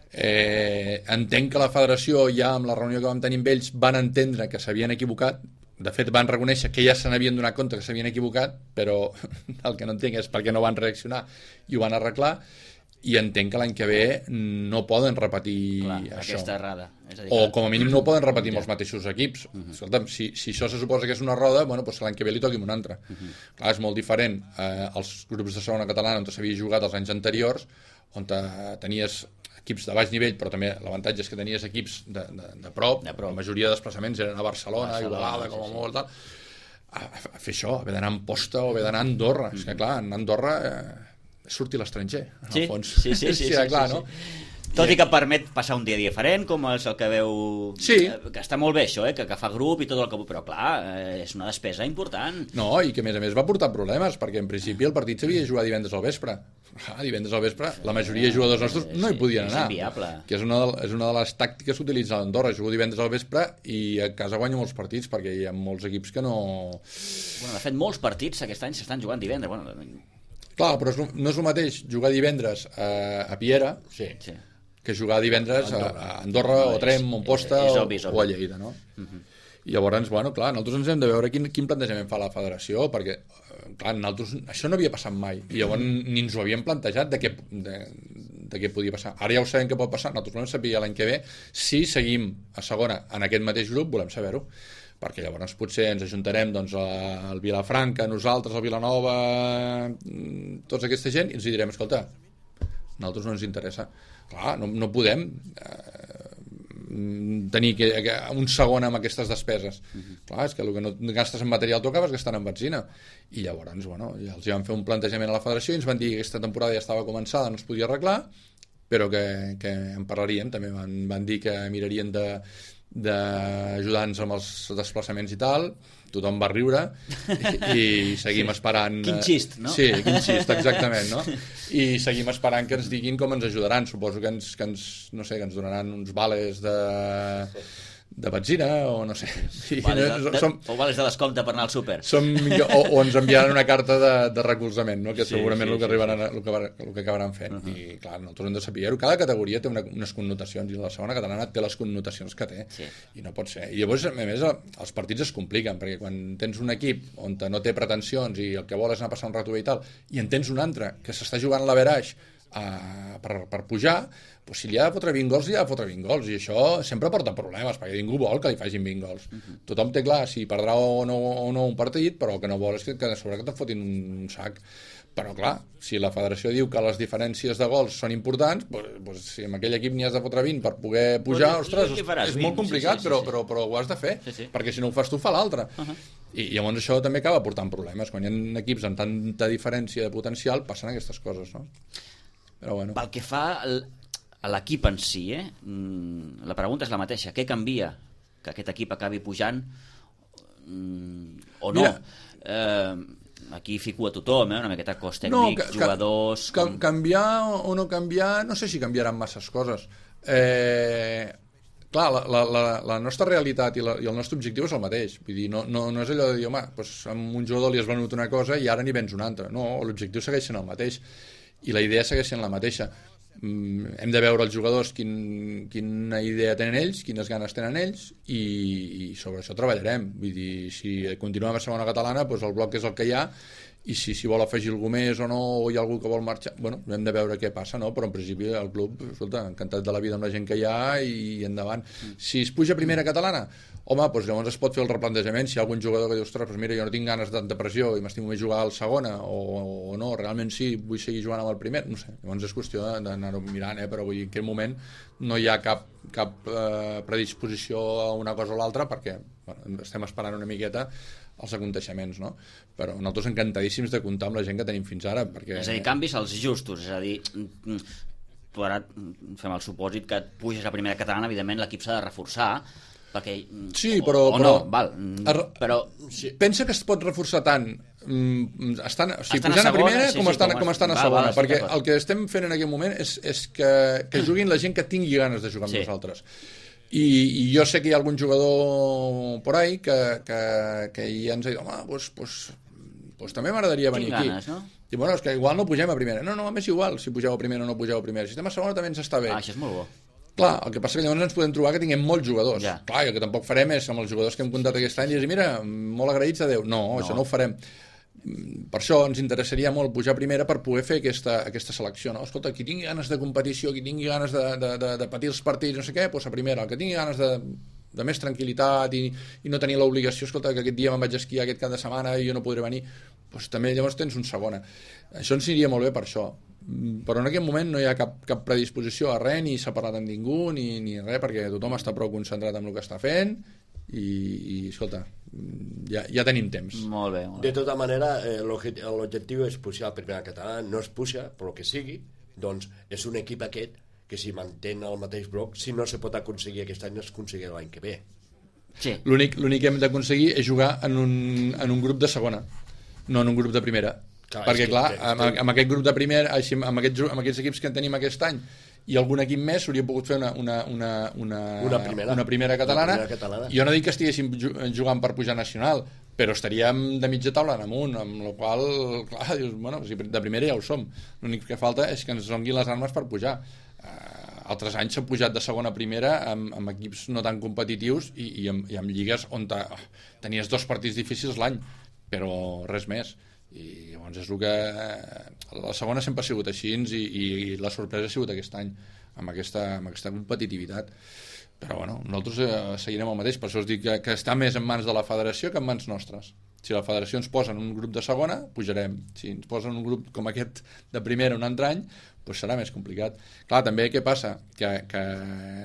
Eh, entenc que la federació ja amb la reunió que vam tenir amb ells van entendre que s'havien equivocat, de fet van reconèixer que ja se n'havien donat compte que s'havien equivocat, però el que no entenc és per què no van reaccionar i ho van arreglar, i entenc que l'any que ve no poden repetir Clar, això aquesta errada, és a dir, o que... com a mínim no poden repetir amb els mateixos equips. uh-huh. Escolta'm, si, si això se suposa que és una roda, bueno, doncs l'any que ve li toqui un altre. uh-huh. Clar, és molt diferent eh, els grups de segona catalana on s'havia jugat els anys anteriors, on tenies equips de baix nivell, però també l'avantatge és que tenies equips de, de, de, prop. de prop, la majoria de desplaçaments eren a Barcelona, a Igualada, com a sí, molt, tal. A, a fer això, haver d'anar a Amposta o haver d'anar a Andorra. Mm-hmm. És que, clar, en Andorra eh, surti l'estranger, en sí, el fons. Sí, sí, sí. sí, sí, clar, sí, no? sí. Tot i que permet passar un dia diferent, com és el que veu... Sí. Que està molt bé això, eh? que, que fa grup i tot el que... Però clar, eh, és una despesa important. No, i que a més a més va portar problemes, perquè en principi el partit s'havia de jugar divendres al vespre. Ah, divendres al vespre, la majoria de jugadors nostres no hi podien anar. És inviable. Que és una de, és una de les tàctiques que utilitza l'Andorra. Jugo divendres al vespre i a casa guanyo molts partits, perquè hi ha molts equips que no... Bueno, de fet, molts partits aquest any s'estan jugant divendres. Bueno... Clar, però no és el mateix jugar divendres a, a Piera, sí, sí. que jugar divendres a Andorra, a Andorra no, o Trem, Montposta és, és obvi, és obvi. o a Lleida, no? Uh-huh. I llavors, bueno, clar, nosaltres ens hem de veure quin, quin plantejament fa la federació, perquè, clar, nosaltres, això no havia passat mai, i llavors ni ens ho havíem plantejat de què, de, de què podia passar. Ara ja ho sabem què pot passar, nosaltres volem saber l'any que ve si seguim a segona en aquest mateix grup, volem saber-ho, perquè llavors potser ens ajuntarem doncs, al Vilafranca, nosaltres, al Vilanova, tots aquesta gent, i ens direm, escolta, a nosaltres no ens interessa. Clar, no, no podem eh, tenir que, que, un segon amb aquestes despeses. Uh-huh. Clar, és que el que no gastes en material tu acabes gastant en benzina. I llavors, bueno, ja els van fer un plantejament a la federació i ens van dir que aquesta temporada ja estava començada, no es podia arreglar, però que, que en parlaríem. També van, van dir que mirarien de d'ajudar-nos amb els desplaçaments i tal. Tothom va riure i, i seguim sí. esperant... Quin xist, no? Sí, quin xist, exactament, no? I seguim esperant que ens diguin com ens ajudaran. Suposo que ens, que ens, no sé, que ens donaran uns vales de... de benzina o no sé vales de, de, som, o vales de descompte per anar al súper som, o, o ens enviaran una carta de, de recolzament, no? Que sí, segurament sí, el, que arribaran, sí, sí. El, que, el que acabaran fent. Uh-huh. I clar, nosaltres hem de saber-ho, cada categoria té una, unes connotacions i la segona catalana té les connotacions que té, sí. I no pot ser, i llavors a més els partits es compliquen, perquè quan tens un equip on no té pretensions i el que vol és anar a passar un rato bé i tal, i en tens un altre que s'està jugant l'averaix Uh, per, per pujar, doncs si li ha de fotre vint gols, li ha de fotre vint gols, i això sempre porta problemes, perquè ningú vol que li facin vint gols. Uh-huh. Tothom té clar si perdrà o no, o no un partit, però el que no vol és que, que a sobre que te'n fotin un sac. Però clar, si la federació diu que les diferències de gols són importants, doncs, doncs si amb aquell equip n'hi has de fotre vint per poder pujar, però, ostres, és, és molt complicat, sí, sí, sí, però, però, però ho has de fer, sí, sí. Perquè si no ho fas tu, fa l'altre. Uh-huh. I llavors això també acaba portant problemes. Quan hi ha equips amb tanta diferència de potencial, passen aquestes coses, no? Però bueno. Pel que fa a l'equip en si, eh? La pregunta és la mateixa. Què canvia que aquest equip acabi pujant o no? Mira, eh, aquí fico a tothom, eh? Una miqueta cos tècnic, no, ca, jugadors... Ca, com... Canviar o no canviar, no sé si canviaran masses coses. Eh, clar, la, la, la, la nostra realitat i, la, i el nostre objectiu és el mateix. Vull dir, no, no, no és allò de dir, home, doncs amb un jugador li has venut una cosa i ara n'hi vens una altra. No, l'objectiu segueix sent el mateix. I la idea segueix sent la mateixa. Mm, hem de veure els jugadors quin, quina idea tenen ells, quines ganes tenen ells, i, i sobre això treballarem. Vull dir, si continuem a segona catalana, doncs el bloc és el que hi ha, i si s'hi vol afegir algú més o no, o hi ha algú que vol marxar, bueno, hem de veure què passa, no? Però en principi el club, escolta, encantat de la vida amb la gent que hi ha i endavant. Mm. Si es puja a primera catalana, home, doncs llavors es pot fer el replantejament, si hi ha algun jugador que diu, ostres, doncs mira, jo no tinc ganes de, de pressió i m'estimo més jugar al segona, o, o no, realment sí, vull seguir jugant amb el primer, no sé, llavors és qüestió d'anar-ho mirant, eh? Però vull dir, en aquest moment no hi ha cap, cap eh, predisposició a una cosa o l'altra, perquè bueno, estem esperant una miqueta els aconteixements, no? Però nosaltres encantadíssims de comptar amb la gent que tenim fins ara, perquè... És a dir, canvis als justos, és a dir, tu ara fem el supòsit que et puges a primera catalana, evidentment l'equip s'ha de reforçar, perquè... Sí, però... O, o però, no, val, però... Sí. Pensa que es pot reforçar tant estan, o sigui, estan pujant a, a, segona, a primera sí, com, sí, estan, com, com estan a va, segona, va, perquè el que estem fent en aquest moment és, és que, que juguin la gent que tingui ganes de jugar amb sí. nosaltres. I, i jo sé que hi ha algun jugador por ahí que, que, que ja ens ha dit, home, pues, pues, pues també m'agradaria venir aquí. Ganes, no? I bueno, és que igual no pugem a primera. No, no, a més igual, si pugeu a primera o no pugeu a primera. Si estem a segona també ens està bé. Ah, això és molt bo. Clar, el que passa que llavors ens podem trobar que tinguem molts jugadors. Ja. Clar, i el que tampoc farem és amb els jugadors que hem comptat aquest any i dir, mira, molt agraïts a Déu. No, no, això no ho farem. Per això ens interessaria molt pujar a primera per poder fer aquesta, aquesta selecció, no? Escolta, qui tingui ganes de competició, qui tingui ganes de, de, de, de patir els partits, no sé què, doncs a primera. El que tingui ganes de, de més tranquil·litat i, i no tenir l'obligació, escolta, que aquest dia me'n vaig a esquiar aquest cap de setmana i jo no podré venir, doncs també llavors tens un segona. Això ens aniria molt bé per això. Però en aquest moment no hi ha cap, cap predisposició a res, ni s'ha parlat amb ningú, ni, ni res, perquè tothom està prou concentrat en el que està fent i, i escolta, ja, ja tenim temps. Molt bé, molt bé. De tota manera, eh, l'objectiu és pujar a primera catalana, no es puja, però que sigui, doncs és un equip aquest que si mantén el mateix bloc, si no se pot aconseguir aquest any, es aconseguirà l'any que ve. Sí. L'únic que hem d'aconseguir és jugar en un, en un grup de segona, no en un grup de primera. Clar, perquè que, clar, amb, amb aquest grup de primera, així, amb, aquests, amb aquests equips que tenim aquest any i algun equip més s'hauria pogut fer una, una, una, una, una, primera. una primera catalana. Una primera catalana. Jo no dic que estiguéssim jugant per pujar nacional, però estaríem de mitja taula en amunt, amb la qual clar, dius, bueno, si de primera ja ho som. L'únic que falta és que ens donguin les armes per pujar. Uh, altres anys s'han pujat de segona a primera amb, amb equips no tan competitius i, i, amb, i amb lligues on ta, tenies dos partits difícils l'any, però res més. I llavors és el que la segona sempre ha sigut així i, i la sorpresa ha sigut aquest any amb aquesta, amb aquesta competitivitat, però bueno, nosaltres eh, seguirem el mateix, per això us dic que, que està més en mans de la federació que en mans nostres. Si la federació ens posa en un grup de segona, pujarem. Si ens posa en un grup com aquest de primera un altre any, doncs serà més complicat. Clar, també què passa? Que, que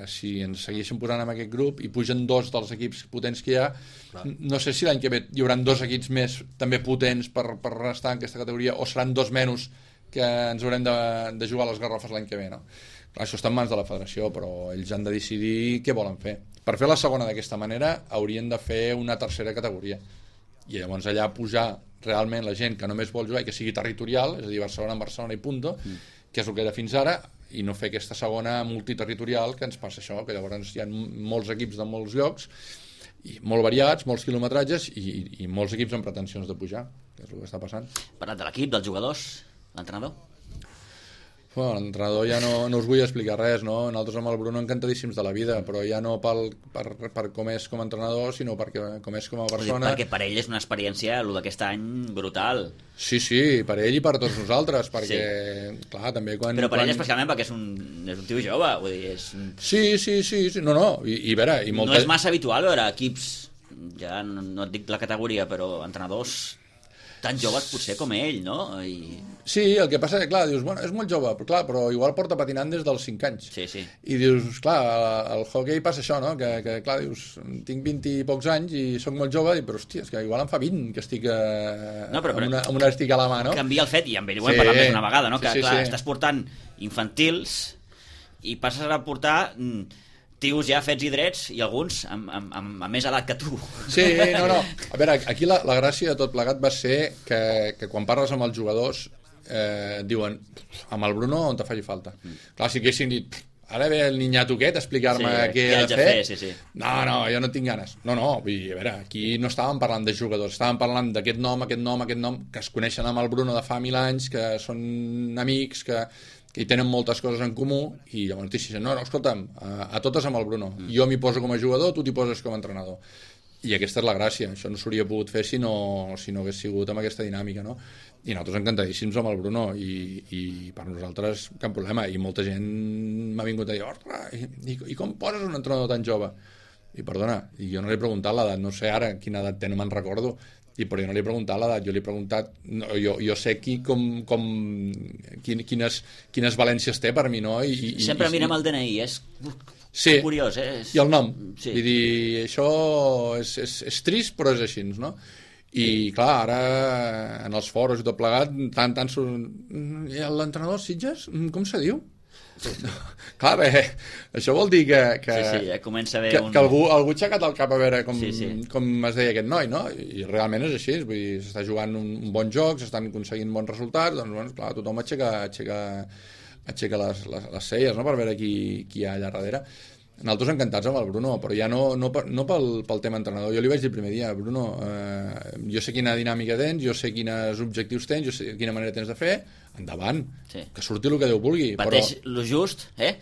si ens segueixen posant en aquest grup i pugen dos dels equips potents que hi ha, clar, no sé si l'any que ve hi haurà dos equips més també potents per, per estar en aquesta categoria o seran dos menys que ens haurem de, de jugar a les garrofes l'any que ve, no? Clar, això està en mans de la federació, però ells han de decidir què volen fer. Per fer la segona d'aquesta manera haurien de fer una tercera categoria i llavors allà pujar realment la gent que només vol jugar i que sigui territorial, és a dir, Barcelona en Barcelona i punto, mm. que és el que era fins ara, i no fer aquesta segona multiterritorial que ens passa això, que llavors hi ha molts equips de molts llocs, i molt variats, molts quilometratges i, i molts equips amb pretensions de pujar, que és el que està passant. Parlat de l'equip, dels jugadors, l'entrenador? Bueno, l'entrenador ja no, no us vull explicar res, no? Nosaltres amb el Bruno encantadíssims de la vida, però ja no pel, per, per com és com a entrenador, sinó perquè com és com a persona. Perquè per ell és una experiència, el d'aquest any, brutal. Sí, sí, per ell i per tots nosaltres, perquè, sí. clar, també quan... Però per quan... ell especialment perquè és un, és un tio jove, vull dir, és... Sí, sí, sí, sí. no, no, i, i vera... I molta... No és massa habitual veure equips, ja no, no et dic la categoria, però entrenadors tan joves potser com ell, no? I... Sí, el que passa és que, clar, dius, bueno, és molt jove, però, clar, però igual porta patinant des dels cinc anys. Sí, sí. I dius, clar, al hockey passa això, no? Que, que clar, dius, tinc vint i pocs anys i sóc molt jove, i, però, hòstia, és que igual em fa vint que estic eh, no, però, amb, una, amb una estic a la mà, no? Canvia el fet, i amb ell ho hem sí, parlat més una vegada, no? Que, sí, sí, clar, sí. estàs portant infantils i passes a portar... tios ja fets i drets i alguns amb, amb, amb, amb més edat que tu. Sí, no, no. A veure, aquí la, la gràcia de tot plegat va ser que, que quan parles amb els jugadors eh, diuen, amb el Bruno on te faci falta. Mm. Clar, si haguessin dit, ara ve el niñato aquest a explicar-me sí, què he de fer. fer sí, sí. No, no, jo no tinc ganes. No, no, vull dir, a veure, aquí no estàvem parlant de jugadors, estàvem parlant d'aquest nom, aquest nom, aquest nom, que es coneixen amb el Bruno de fa mil anys, que són amics, que... que hi tenen moltes coses en comú, i llavors t'hi no, no, escolta'm, a, a totes amb el Bruno. Mm. Jo m'hi poso com a jugador, tu t'hi poses com a entrenador. I aquesta és la gràcia, això no s'hauria pogut fer si no, si no hagués sigut amb aquesta dinàmica, no? I nosaltres encantadíssims amb el Bruno, i, i per nosaltres cap problema, i molta gent m'ha vingut a dir, ostres, i, i, i com poses un entrenador tan jove? I perdona, i jo no li he preguntat l'edat, no sé ara quina edat té, no me'n recordo, i però jo no li he preguntat l'edat, jo li he preguntat, no, jo, jo sé qui, com, com, quin, quines, quines valències té per mi, no? I, i, Sempre i, mirem el D N I, és sí, curiós, eh? És... i el nom, sí. Vull dir, això és, és, és trist, però és així, no? I clar, ara en els foros i tot plegat tant, tant i l'entrenador Sitges, com se diu? No. Clar, bé, això vol dir que que, sí, sí, ja comença a haver que, un... que algú, algú ha aixecat el cap a veure com, sí, sí. com es deia aquest noi, no? I realment és així, vull dir, s'està jugant un, un bon joc, s'estan aconseguint bons resultats, doncs bueno, clar, tothom aixeca, aixeca, aixeca les, les, les celles, no?, per veure qui, qui hi ha allà darrere. Nosaltres encantats amb el Bruno, però ja no, no, no pel, pel tema entrenador. Jo li vaig dir el primer dia, Bruno, eh, jo sé quina dinàmica tens, jo sé quins objectius tens, jo sé quina manera tens de fer, endavant, sí. Que surti el que Déu vulgui. Pateix però... lo just, eh?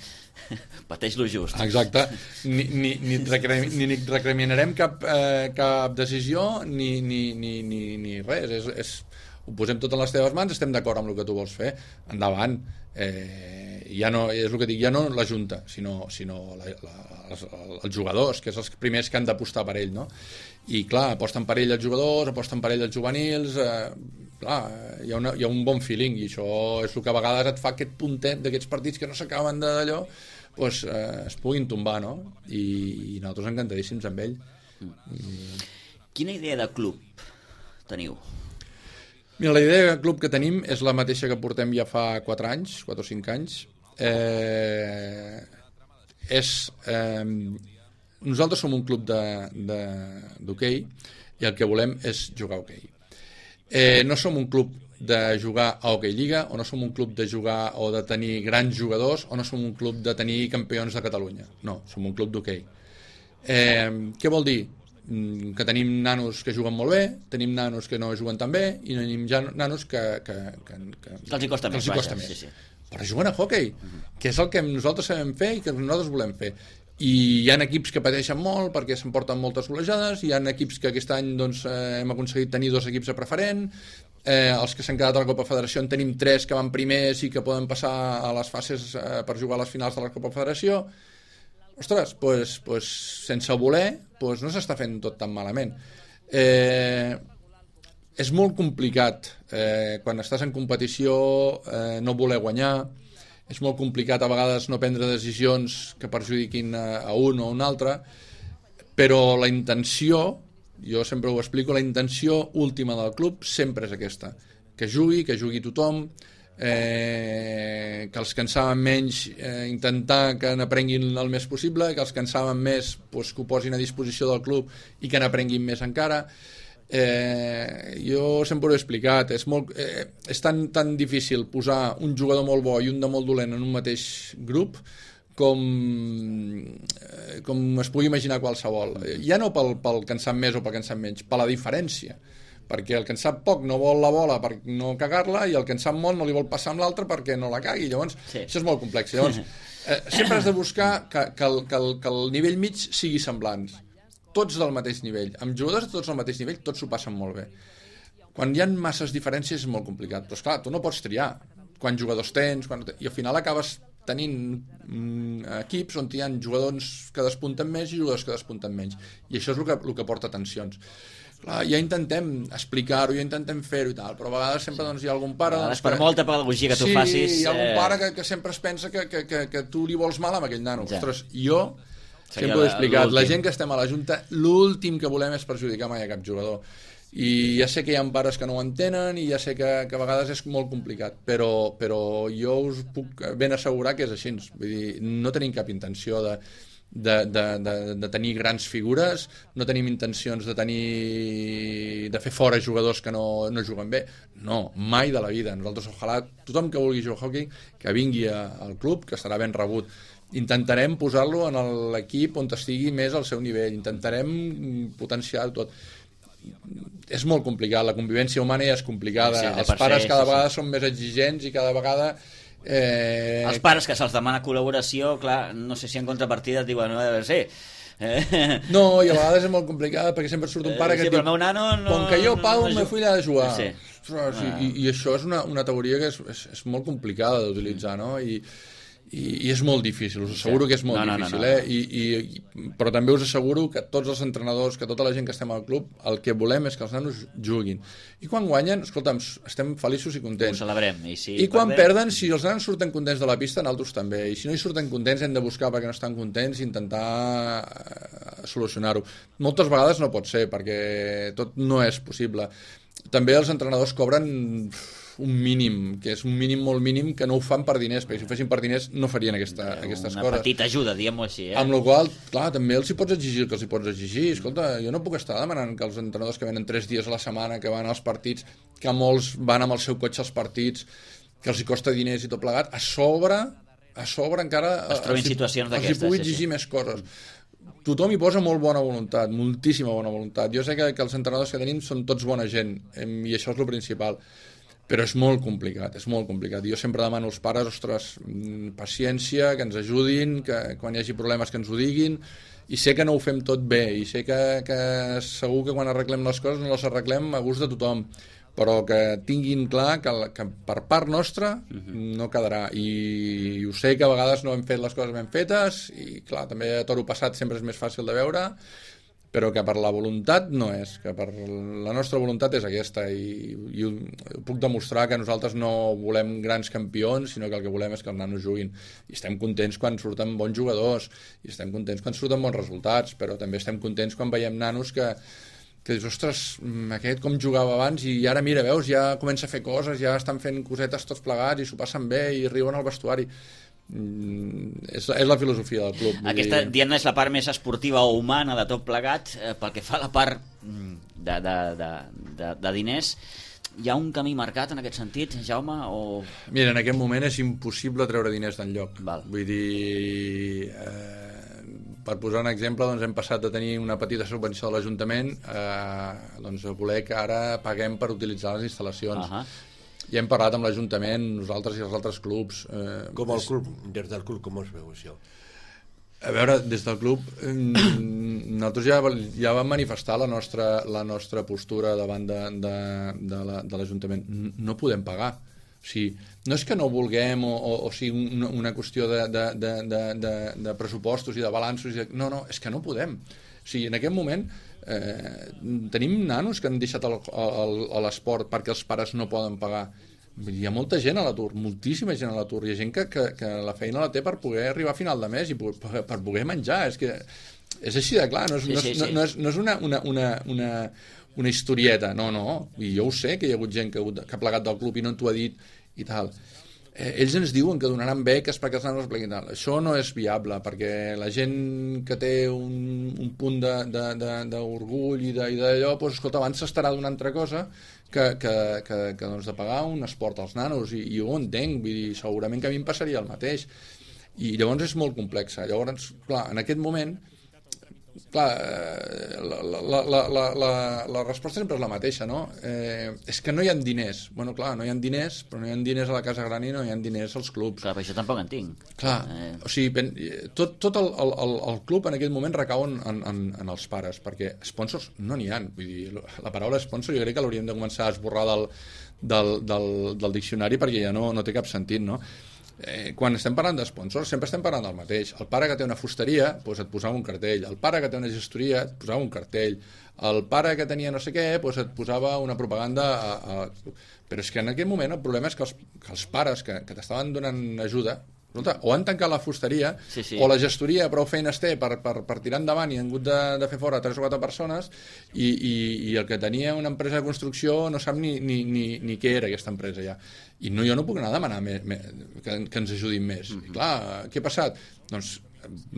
Pateix lo just. Exacte. Ni, ni, ni, recre... ni, ni recriminarem cap, eh, cap decisió, ni, ni, ni, ni, ni res. És, és... Ho posem tot en les teves mans, estem d'acord amb el que tu vols fer, endavant. Eh, ja no, és el que dic, ja no la Junta, sinó, sinó la, la, els, els jugadors, que és els primers que han d'apostar per ell, no? I clar, aposten per ell els jugadors, aposten per ell els juvenils, eh, clar, hi ha, una, hi ha un bon feeling, i això és el que a vegades et fa aquest puntet d'aquests partits que no s'acaben d'allò, doncs eh, es puguin tombar, no? I, i nosaltres encantadíssims amb ell. I... Quina idea de club teniu? Mira, la idea de club que tenim és la mateixa que portem ja fa quatre anys, quatre o cinc anys. Eh, és, eh, nosaltres som un club d'hoquei i el que volem és jugar a hoquei. Eh, no som un club de jugar a hoquei lliga, o no som un club de jugar o de tenir grans jugadors, o no som un club de tenir campions de Catalunya. No, som un club d'hoquei. Eh, què vol dir? Que tenim nanos que juguen molt bé, tenim nanos que no juguen tan bé i tenim ja nanos que, que, que, que, que els hi costa que més, els hi costa vaja, més. Sí, sí. Però juguen a hoquei, uh-huh. que és el que nosaltres sabem fer i que nosaltres volem fer. I hi ha equips que pateixen molt perquè s'emporten moltes golejades, hi ha equips que aquest any doncs, eh, hem aconseguit tenir dos equips a preferent, eh, els que s'han quedat a la Copa Federació en tenim tres que van primers i que poden passar a les fases eh, per jugar a les finals de la Copa Federació. Ostres, pues, pues, sense voler pues, no s'està fent tot tan malament. Eh, és molt complicat eh, quan estàs en competició eh, no voler guanyar, és molt complicat a vegades no prendre decisions que perjudiquin a, a un o a un altre, però la intenció, jo sempre ho explico, la intenció última del club sempre és aquesta, que jugui, que jugui tothom, Eh, que els que en saben menys eh, intentar que n'aprenguin el més possible, que els que en saben més pues, que ho posin a disposició del club i que n'aprenguin més encara. Eh, jo sempre ho he explicat, és, molt, eh, és tan, tan difícil posar un jugador molt bo i un de molt dolent en un mateix grup com, eh, com es pugui imaginar qualsevol. Ja no pel, pel que en sap més o pel que en sap menys, per la diferència, perquè el que en sap poc no vol la bola per no cagar-la i el que en sap molt no li vol passar amb l'altre perquè no la cagui. Llavors, sí. Això és molt complex. Llavors, eh, sempre has de buscar que, que, el, que, el, que el nivell mig sigui semblants. Tots del mateix nivell. Amb jugadors tots del mateix nivell, tots s'ho passen molt bé. Quan hi ha masses diferències és molt complicat. Però, esclar, tu no pots triar quants jugadors tens, quan... i al final acabes tenint mm, equips on hi ha jugadors que despunten més i jugadors que despunten menys. I això és el que, el que porta tensions. Clar, ja intentem explicar-ho, ja intentem fer-ho i tal, però a vegades sempre doncs, hi ha algun pare... Doncs, doncs, per que... molta pedagogia que tu sí, facis... Sí, hi ha algun eh... pare que, que sempre es pensa que, que, que, que tu li vols mal amb aquell nano. Ja. Ostres, jo Seria sempre ho he explicat, l'últim. La gent que estem a la Junta, l'últim que volem és perjudicar mai a cap jugador. I ja sé que hi ha pares que no ho entenen i ja sé que, que a vegades és molt complicat, però, però jo us puc ben assegurar que és així. Vull dir, no tenim cap intenció de... De, de, de, de tenir grans figures, no tenim intencions de tenir de fer fora jugadors que no, no juguen bé, no, mai de la vida. Nosaltres, ojalà, tothom que vulgui jugar a hockey que vingui a, al club, que serà ben rebut. Intentarem posar-lo en l'equip on estigui més al seu nivell, intentarem potenciar tot. És molt complicat, la convivència humana ja és complicada, sí, els pares cada sí, vegada sí. són més exigents i cada vegada Eh... Els pares que se'ls demana col·laboració, clar, no sé si en contrapartida et diuen, no, sí, Eh? No, i a vegades és molt complicat perquè sempre surt un pare que sí, et diu el meu nano no, com que jo, Pau, no, no, me fui a jugar. Sí. Ostres, ah. i, I això és una, una teoria que és, és, és molt complicada d'utilitzar, no? I, i, i és molt difícil, us asseguro que és molt no, no, difícil, no, no. eh? I, i, però també us asseguro que tots els entrenadors, que tota la gent que estem al club, el que volem és que els nanos juguin. I quan guanyen, escolta'm, estem feliços i contents. Ho celebrem. I, si I quan perdem... perden, si els nanos surten contents de la pista, nosaltres també. I si no hi surten contents, hem de buscar perquè no estan contents i intentar eh, solucionar-ho. Moltes vegades no pot ser, perquè tot no és possible. També els entrenadors cobren un mínim, que és un mínim molt mínim, que no ho fan per diners, perquè si ho fessin per diners no farien aquesta, aquestes una coses. Una petita ajuda, diguem-ho així. Eh? Amb la qual cosa, clar, també els hi pots exigir que els hi pots exigir. Escolta, jo no puc estar demanant que els entrenadors que venen tres dies a la setmana, que van als partits, que molts van amb el seu cotxe als partits, que els hi costa diners i tot plegat, a sobre, a sobre encara es trobin situacions d'aquestes. Els hi pugui exigir sí, sí. més coses. Tothom hi posa molt bona voluntat, moltíssima bona voluntat. Jo sé que, que els entrenadors que tenim són tots bona gent, i això és el principal. Però és molt complicat, és molt complicat. Jo sempre demano als pares, ostres, paciència, que ens ajudin, que quan hi hagi problemes que ens ho diguin, i sé que no ho fem tot bé, i sé que, que segur que quan arreglem les coses no les arreglem a gust de tothom, però que tinguin clar que, que per part nostra no quedarà. I, I ho sé que a vegades no hem fet les coses ben fetes, i clar, també a toro passat sempre és més fàcil de veure, però que per la voluntat no és, que per la nostra voluntat és aquesta, i, i ho, puc demostrar que nosaltres no volem grans campions, sinó que el que volem és que els nanos juguin, i estem contents quan surten bons jugadors, i estem contents quan surten bons resultats, però també estem contents quan veiem nanos que, que dius, ostres, aquest com jugava abans, i ara mira, veus, ja comença a fer coses, ja estan fent cosetes tots plegats, i s'ho passen bé, i riuen al vestuari. Mm, és, és la filosofia del club. Aquesta, dir... diguem-ne, és la part més esportiva o humana de tot plegat. Eh, pel que fa a la part de, de, de, de, de diners, hi ha un camí marcat en aquest sentit, Jaume? O... Mira, en aquest moment és impossible treure diners d'enlloc. Val. Vull dir, eh, per posar un exemple, doncs hem passat de tenir una petita subvenció de l'Ajuntament a, doncs, a voler que ara paguem per utilitzar les instal·lacions. Uh -huh. I hem parlat amb l'Ajuntament, nosaltres i els altres clubs. Eh, com el club, des del club, com es veu això? A veure, des del club eh, nosaltres ja, ja vam manifestar la nostra, la nostra postura davant de, de, de l'Ajuntament. No podem pagar. O sigui, no és que no vulguem o, o, o sigui una, una qüestió de, de, de, de, de, de pressupostos i de balanços. I de, no, no, és que no podem. O sigui, en aquest moment eh, tenim nanos que han deixat l'esport perquè els pares no poden pagar. Hi ha molta gent a l'atur, moltíssima gent a l'atur. Hi ha gent que, que, que la feina la té per poder arribar a final de mes i per, per poder menjar. És que és així de clar, no és, sí, sí, no, sí. no és, no és una, una, una, una, una historieta, no, no. I jo ho sé, que hi ha hagut gent que, que ha plegat del club i no t'ho ha dit i tal. Eh, ells ens diuen que donaran beques perquè els nanos pleguin tal. Això no és viable, perquè la gent que té un, un punt d'orgull i d'allò, doncs, escolta, abans s'estarà d'una altra cosa que, que, que, que doncs, de pagar un esport als nanos, i, i jo ho entenc, vull dir, segurament que a mi em passaria el mateix. I llavors és molt complexa. Llavors, clar, en aquest moment, clar, la, la, la, la, la, la resposta sempre és la mateixa, no? Eh, és que no hi ha diners. Bueno, clar, no hi ha diners, però no hi ha diners a la Casa Gran i no hi ha diners als clubs. Clar, però això tampoc en tinc. Clar, eh... o sigui, tot, tot el, el, el club en aquest moment recau en, en, en els pares, perquè sponsors no n'hi ha. Vull dir, la paraula sponsor jo crec que l'hauríem de començar a esborrar del, del, del, del diccionari, perquè ja no, no té cap sentit, no? Eh, quan estem parlant d'esponsors sempre estem parlant del mateix. El pare que té una fusteria, doncs et posava un cartell. El pare que té una gestoria, et posava un cartell. El pare que tenia no sé què, doncs et posava una propaganda a, a... Però és que en aquest moment el problema és que els, que els pares que, que t'estaven donant ajuda, o han tancat la fusteria, sí, sí. o la gestoria prou feines té per, per, per tirar endavant i han hagut de, de fer fora tres o quatre persones, i, i, i el que tenia una empresa de construcció no sap ni, ni, ni, ni què era aquesta empresa ja. I no, jo no puc anar a demanar me, me, que, que ens ajudin més. Mm-hmm. I clar, què ha passat? Doncs,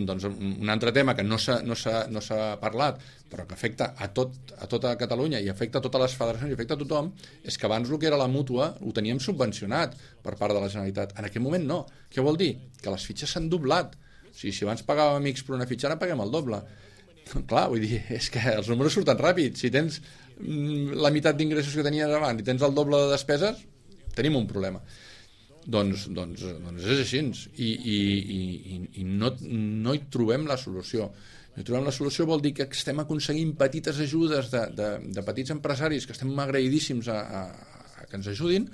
doncs un altre tema que no s'ha no s'ha no s'ha parlat, però que afecta a, tot, a tota Catalunya i afecta a totes les federacions i afecta a tothom, és que abans el que era la mútua ho teníem subvencionat per part de la Generalitat. En aquest moment no. Què vol dir? Que les fitxes s'han doblat. O sigui, si abans pagàvem X per una fitxa, ara paguem el doble. Clar, vull dir, és que els números surten ràpid. Si tens la meitat d'ingressos que tenies abans i tens el doble de despeses, tenim un problema. Doncs, doncs, doncs és així. I, i, i, i no, no hi trobem la solució. I trobem la solució vol dir que estem aconseguint petites ajudes de, de, de petits empresaris que estem agraïdíssims a, a, a que ens ajudin,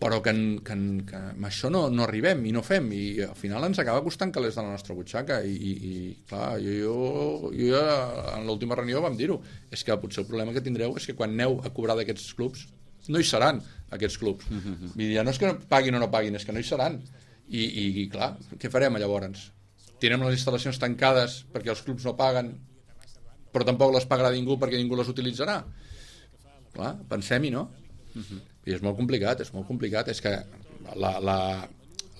però que, en, que, en, que amb això no, no arribem i no fem, i al final ens acaba costant calés de la nostra butxaca, i, i, i clar, jo, jo, jo ja, en l'última reunió vam dir-ho, és que potser el problema que tindreu és que quan aneu a cobrar d'aquests clubs, no hi seran aquests clubs. Mm-hmm. Vull dir, ja no és que paguin o no paguin, és que no hi seran. I, i, i clar, què farem llavors? Tindrem les instal·lacions tancades perquè els clubs no paguen, però tampoc les pagarà ningú perquè ningú les utilitzarà. Clar, pensem-hi, no? Mm-hmm. I és molt complicat, és molt complicat. És que la, la,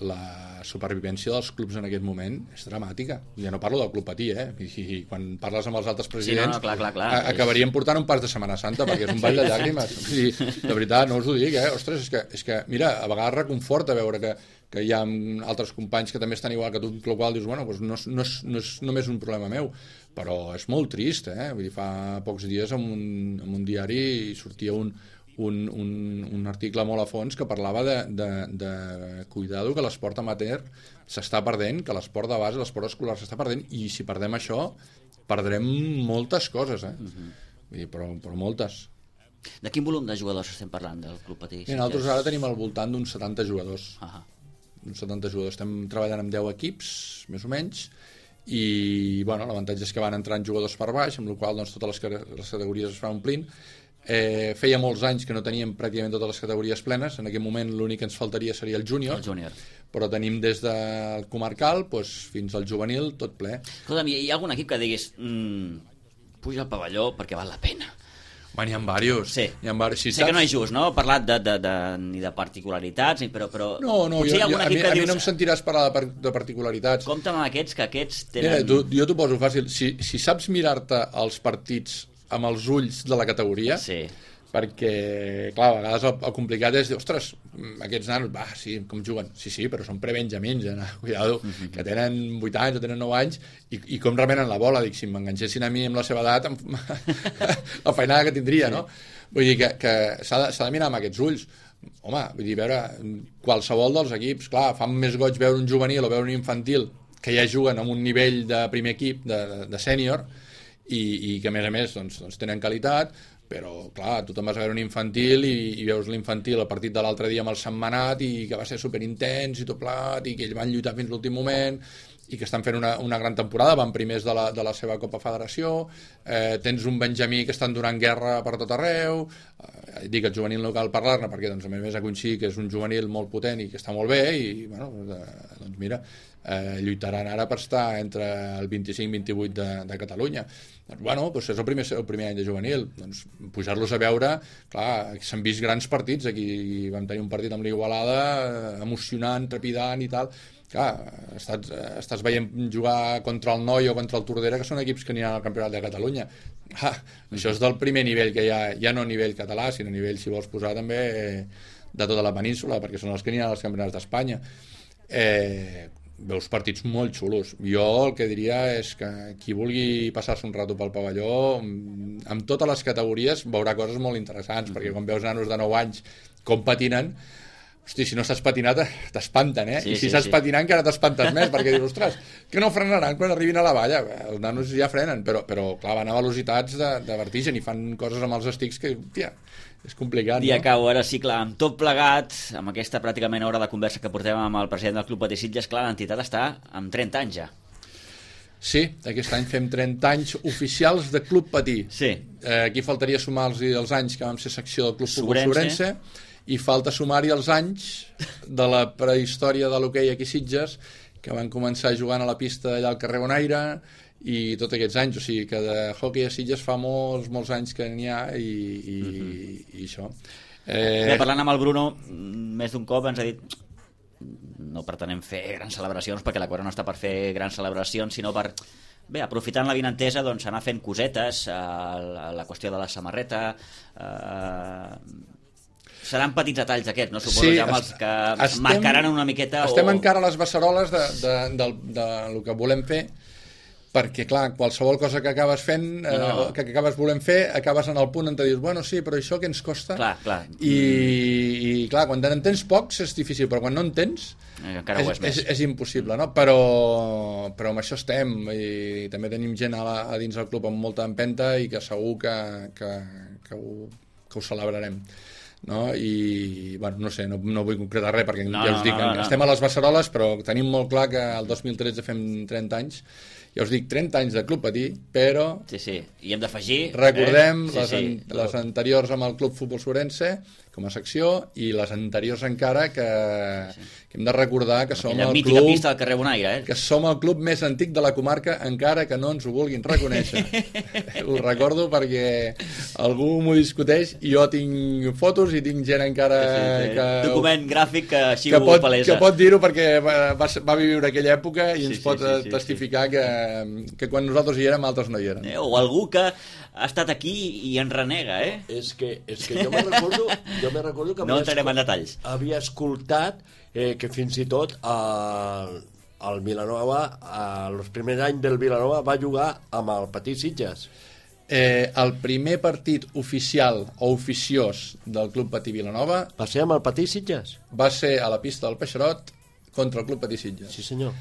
la supervivència dels clubs en aquest moment és dramàtica. Ja no parlo del Club Patí, eh? I, i quan parles amb els altres presidents, sí, no, no, clar, clar, clar. A, acabaríem portant un pas de Setmana Santa, perquè és un ball de llàgrimes. I, de veritat, no us ho dic, eh? Ostres, és que, és que mira, a vegades reconforta veure que, que hi ha altres companys que també estan igual que tu, el qual dius, bueno, doncs no, no, és, no és només un problema meu, però és molt trist, eh? Vull dir, fa pocs dies en un, en un diari sortia un Un, un, un article molt a fons que parlava de, de, de cuidado, que l'esport amateur s'està perdent, que l'esport de base, l'esport escolar s'està perdent, i si perdem això perdrem moltes coses, eh? Uh-huh. Vull dir, però, però moltes. De quin volum de jugadors estem parlant del Club Patí? I nosaltres ara tenim al voltant d'uns setanta jugadors. Uh-huh. Uns setanta jugadors. Estem treballant amb deu equips, més o menys, i bueno, l'avantatge és que van entrant jugadors per baix, amb la qual cosa doncs, totes les, les categories es van omplint. Eh, feia molts anys que no teníem pràcticament totes les categories plenes. En aquest moment l'únic que ens faltaria seria el júnior, el júnior. Però tenim des del comarcal doncs, fins al juvenil tot ple. Escolta'm, hi ha algun equip que diguis mmm, puja al pavelló perquè val la pena? Bueno, n'hi ha diversos. Sí. Hi ha diversos. Si sé saps... que no és just, no? Parlat de, de, de, ni de particularitats, però, però... No, no, jo, jo, a, mi, a dius... mi no em sentiràs parlar de, de particularitats. Compte amb aquests, que aquests tenen... Mira, tu, jo t'ho poso fàcil. Si, si saps mirar-te els partits amb els ulls de la categoria... Sí. Perquè, clar, a vegades el, el complicat és dir, ostres, aquests nanos, va, sí, com juguen? Sí, sí, però són prebenjamins, eh? Cuidado, mm-hmm. que tenen vuit anys o tenen nou anys, i, i com remenen la bola, dic, si m'enganxessin a mi amb la seva edat, la feinada que tindria, sí. No? Vull dir que, que s'ha de, s'ha de mirar amb aquests ulls. Home, vull dir, veure, qualsevol dels equips, clar, fan més goig veure un juvenil o veure un infantil que ja juguen amb un nivell de primer equip, de, de sènior, i, i que a més a més doncs, doncs tenen qualitat, però clar, tu te'n vas a veure un infantil i, i veus l'infantil el partit de l'altre dia amb el Sentmenat i que va ser superintens i tot plat i que ells van lluitar fins l'últim moment i que estan fent una, una gran temporada, van primers de la, de la seva Copa Federació, eh, tens un Benjamí que estan donant guerra per tot arreu, eh, dic el juvenil local parlar-ne perquè doncs, a més a coincidir que és un juvenil molt potent i que està molt bé i bueno, eh, doncs mira, eh, lluitaran ara per estar entre el vint-i-cinc vint-i-vuit de, de Catalunya. Doncs, bueno, doncs és el primer, el primer any de juvenil, doncs pujar-los a veure, clar, s'han vist grans partits, aquí vam tenir un partit amb l'Igualada, emocionant, trepidant i tal. Clar, estàs, estàs veient jugar contra el Noi o contra el Tordera, que són equips que aniran al Campionat de Catalunya. Ah, això és del primer nivell que hi ha, ja no a nivell català, sinó a nivell, si vols posar, també de tota la península, perquè són els que aniran als Campionats d'Espanya. Eh, veus partits molt xulos. Jo el que diria és que qui vulgui passar-se un rato pel pavelló, amb totes les categories veurà coses molt interessants, perquè quan veus nanos de nou anys com patinen, hosti, si no estàs patinat t'espanten, eh? Sí, I si sí, saps sí. patinar encara t'espantes més, perquè dius, ostres, que no frenaran quan arribin a la valla? Els nanos ja frenen, però, però clar, van a velocitats de, de vertigen i fan coses amb els estics que, tia, és complicat, I no? acabo, ara sí, clar, amb tot plegat, amb aquesta pràcticament hora de conversa que portem amb el president del Club Patí Sitges, clar, l'entitat està amb trenta anys ja. Sí, aquest any fem trenta anys oficials de Club Patí. Sí. Eh, aquí faltaria sumar-los els anys que vam ser secció del Club Futbol Sobrense, i falta sumar-hi els anys de la prehistòria de l'hoquei aquí a Sitges, que van començar jugant a la pista allà al carrer Bonaire, i tots aquests anys, o sigui que de hoquei a Sitges fa molts, molts anys que n'hi ha, i, i, mm-hmm. i això. Eh... Bé, parlant amb el Bruno, més d'un cop ens ha dit no pretenem fer grans celebracions, perquè la cosa no està per fer grans celebracions, sinó per... Bé, aprofitant la vinentesa, doncs, anar fent cosetes, eh, la, la qüestió de la samarreta... Eh, seran petits detalls aquests, no? Suposo sí, ja amb els que estem, marcaran una miqueta... Estem o... encara a les beceroles de, de, de, de, de, de lo que volem fer, perquè, clar, qualsevol cosa que acabes fent, eh, No, no. que acabes volent fer, acabes en el punt on te dius, bueno, sí, però això què ens costa? Clar, clar. I, i clar, quan en tens pocs és difícil, però quan no en tens Eh, encara ho és més. és, és impossible, no? Però, però amb això estem, i també tenim gent a, la, a dins del club amb molta empenta i que segur que, que, que, ho, que ho celebrarem. No? I, bueno, no sé, no, no vull concretar res perquè No, ja us dic, no, no, no. estem a les Beceroles, però tenim molt clar que el dos mil tretze fem trenta anys. Ja us dic, trenta anys de Club Patí, però Sí, sí, i hem d'afegir... recordem eh? les, sí, an sí. les anteriors amb el Club Futbol Sorense com a secció i les anteriors encara que, sí. que hem de recordar que som Aquella el mítica club pista del carrer Bonaire, eh? que som el club més antic de la comarca encara que no ens ho vulguin reconèixer. Ho recordo perquè algú m'ho discuteix i jo tinc fotos i tinc gent encara Sí, sí. que, Document gràfic que així que ho pot, palesa. que pot dir-ho perquè va, va, va viure aquella època i Sí, ens sí, pot sí, sí, testificar que, que quan nosaltres hi érem altres no hi eren. Eh? O algú que ha estat aquí i en renega, eh? És que, és que jo me recordo, jo me recordo que No havia entrarem en escol- detalls. havia escoltat eh, que fins i tot el, el Vilanova, els primers anys del Vilanova va jugar amb el Patí Sitges. Eh, el primer partit oficial o oficiós del Club Patí Vilanova Va ser amb el Patí Sitges? va ser a la pista del Peixerot contra el Club Patí Sitges. Sí, senyor.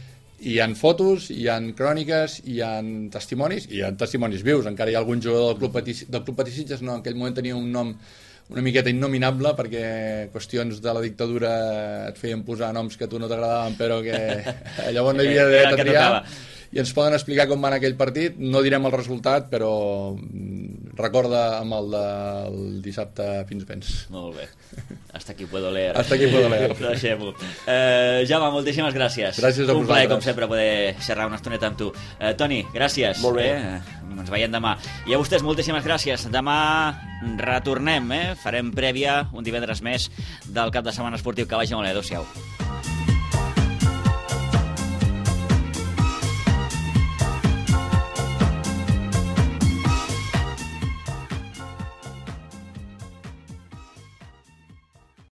Hi ha fotos, hi ha cròniques, hi ha testimonis, hi ha testimonis vius. Encara hi ha algun jugador del Club Patí, del Club Patí Sitges, no, en aquell moment tenia un nom una miqueta innominable perquè qüestions de la dictadura et feien posar noms que a tu no t'agradaven però que llavors no hi havia Era el dret a que triar tocava. i ens poden explicar com va anar aquell partit. No direm el resultat, però mm, recorda amb el del dissabte fins vens. Molt bé. Hasta aquí puedo leer. Hasta aquí puedo leer. Deixem-ho. Eh, Jaume, moltíssimes gràcies. Gràcies a Un plaer, vosaltres. com sempre, poder xerrar una estoneta amb tu. Eh, Toni, gràcies. Molt bé. Eh? Ens veiem demà. I a vostès, moltíssimes gràcies. Demà retornem, eh? Farem prèvia un divendres més del cap de setmana esportiu. Que vagi molt bé. Adéu-siau.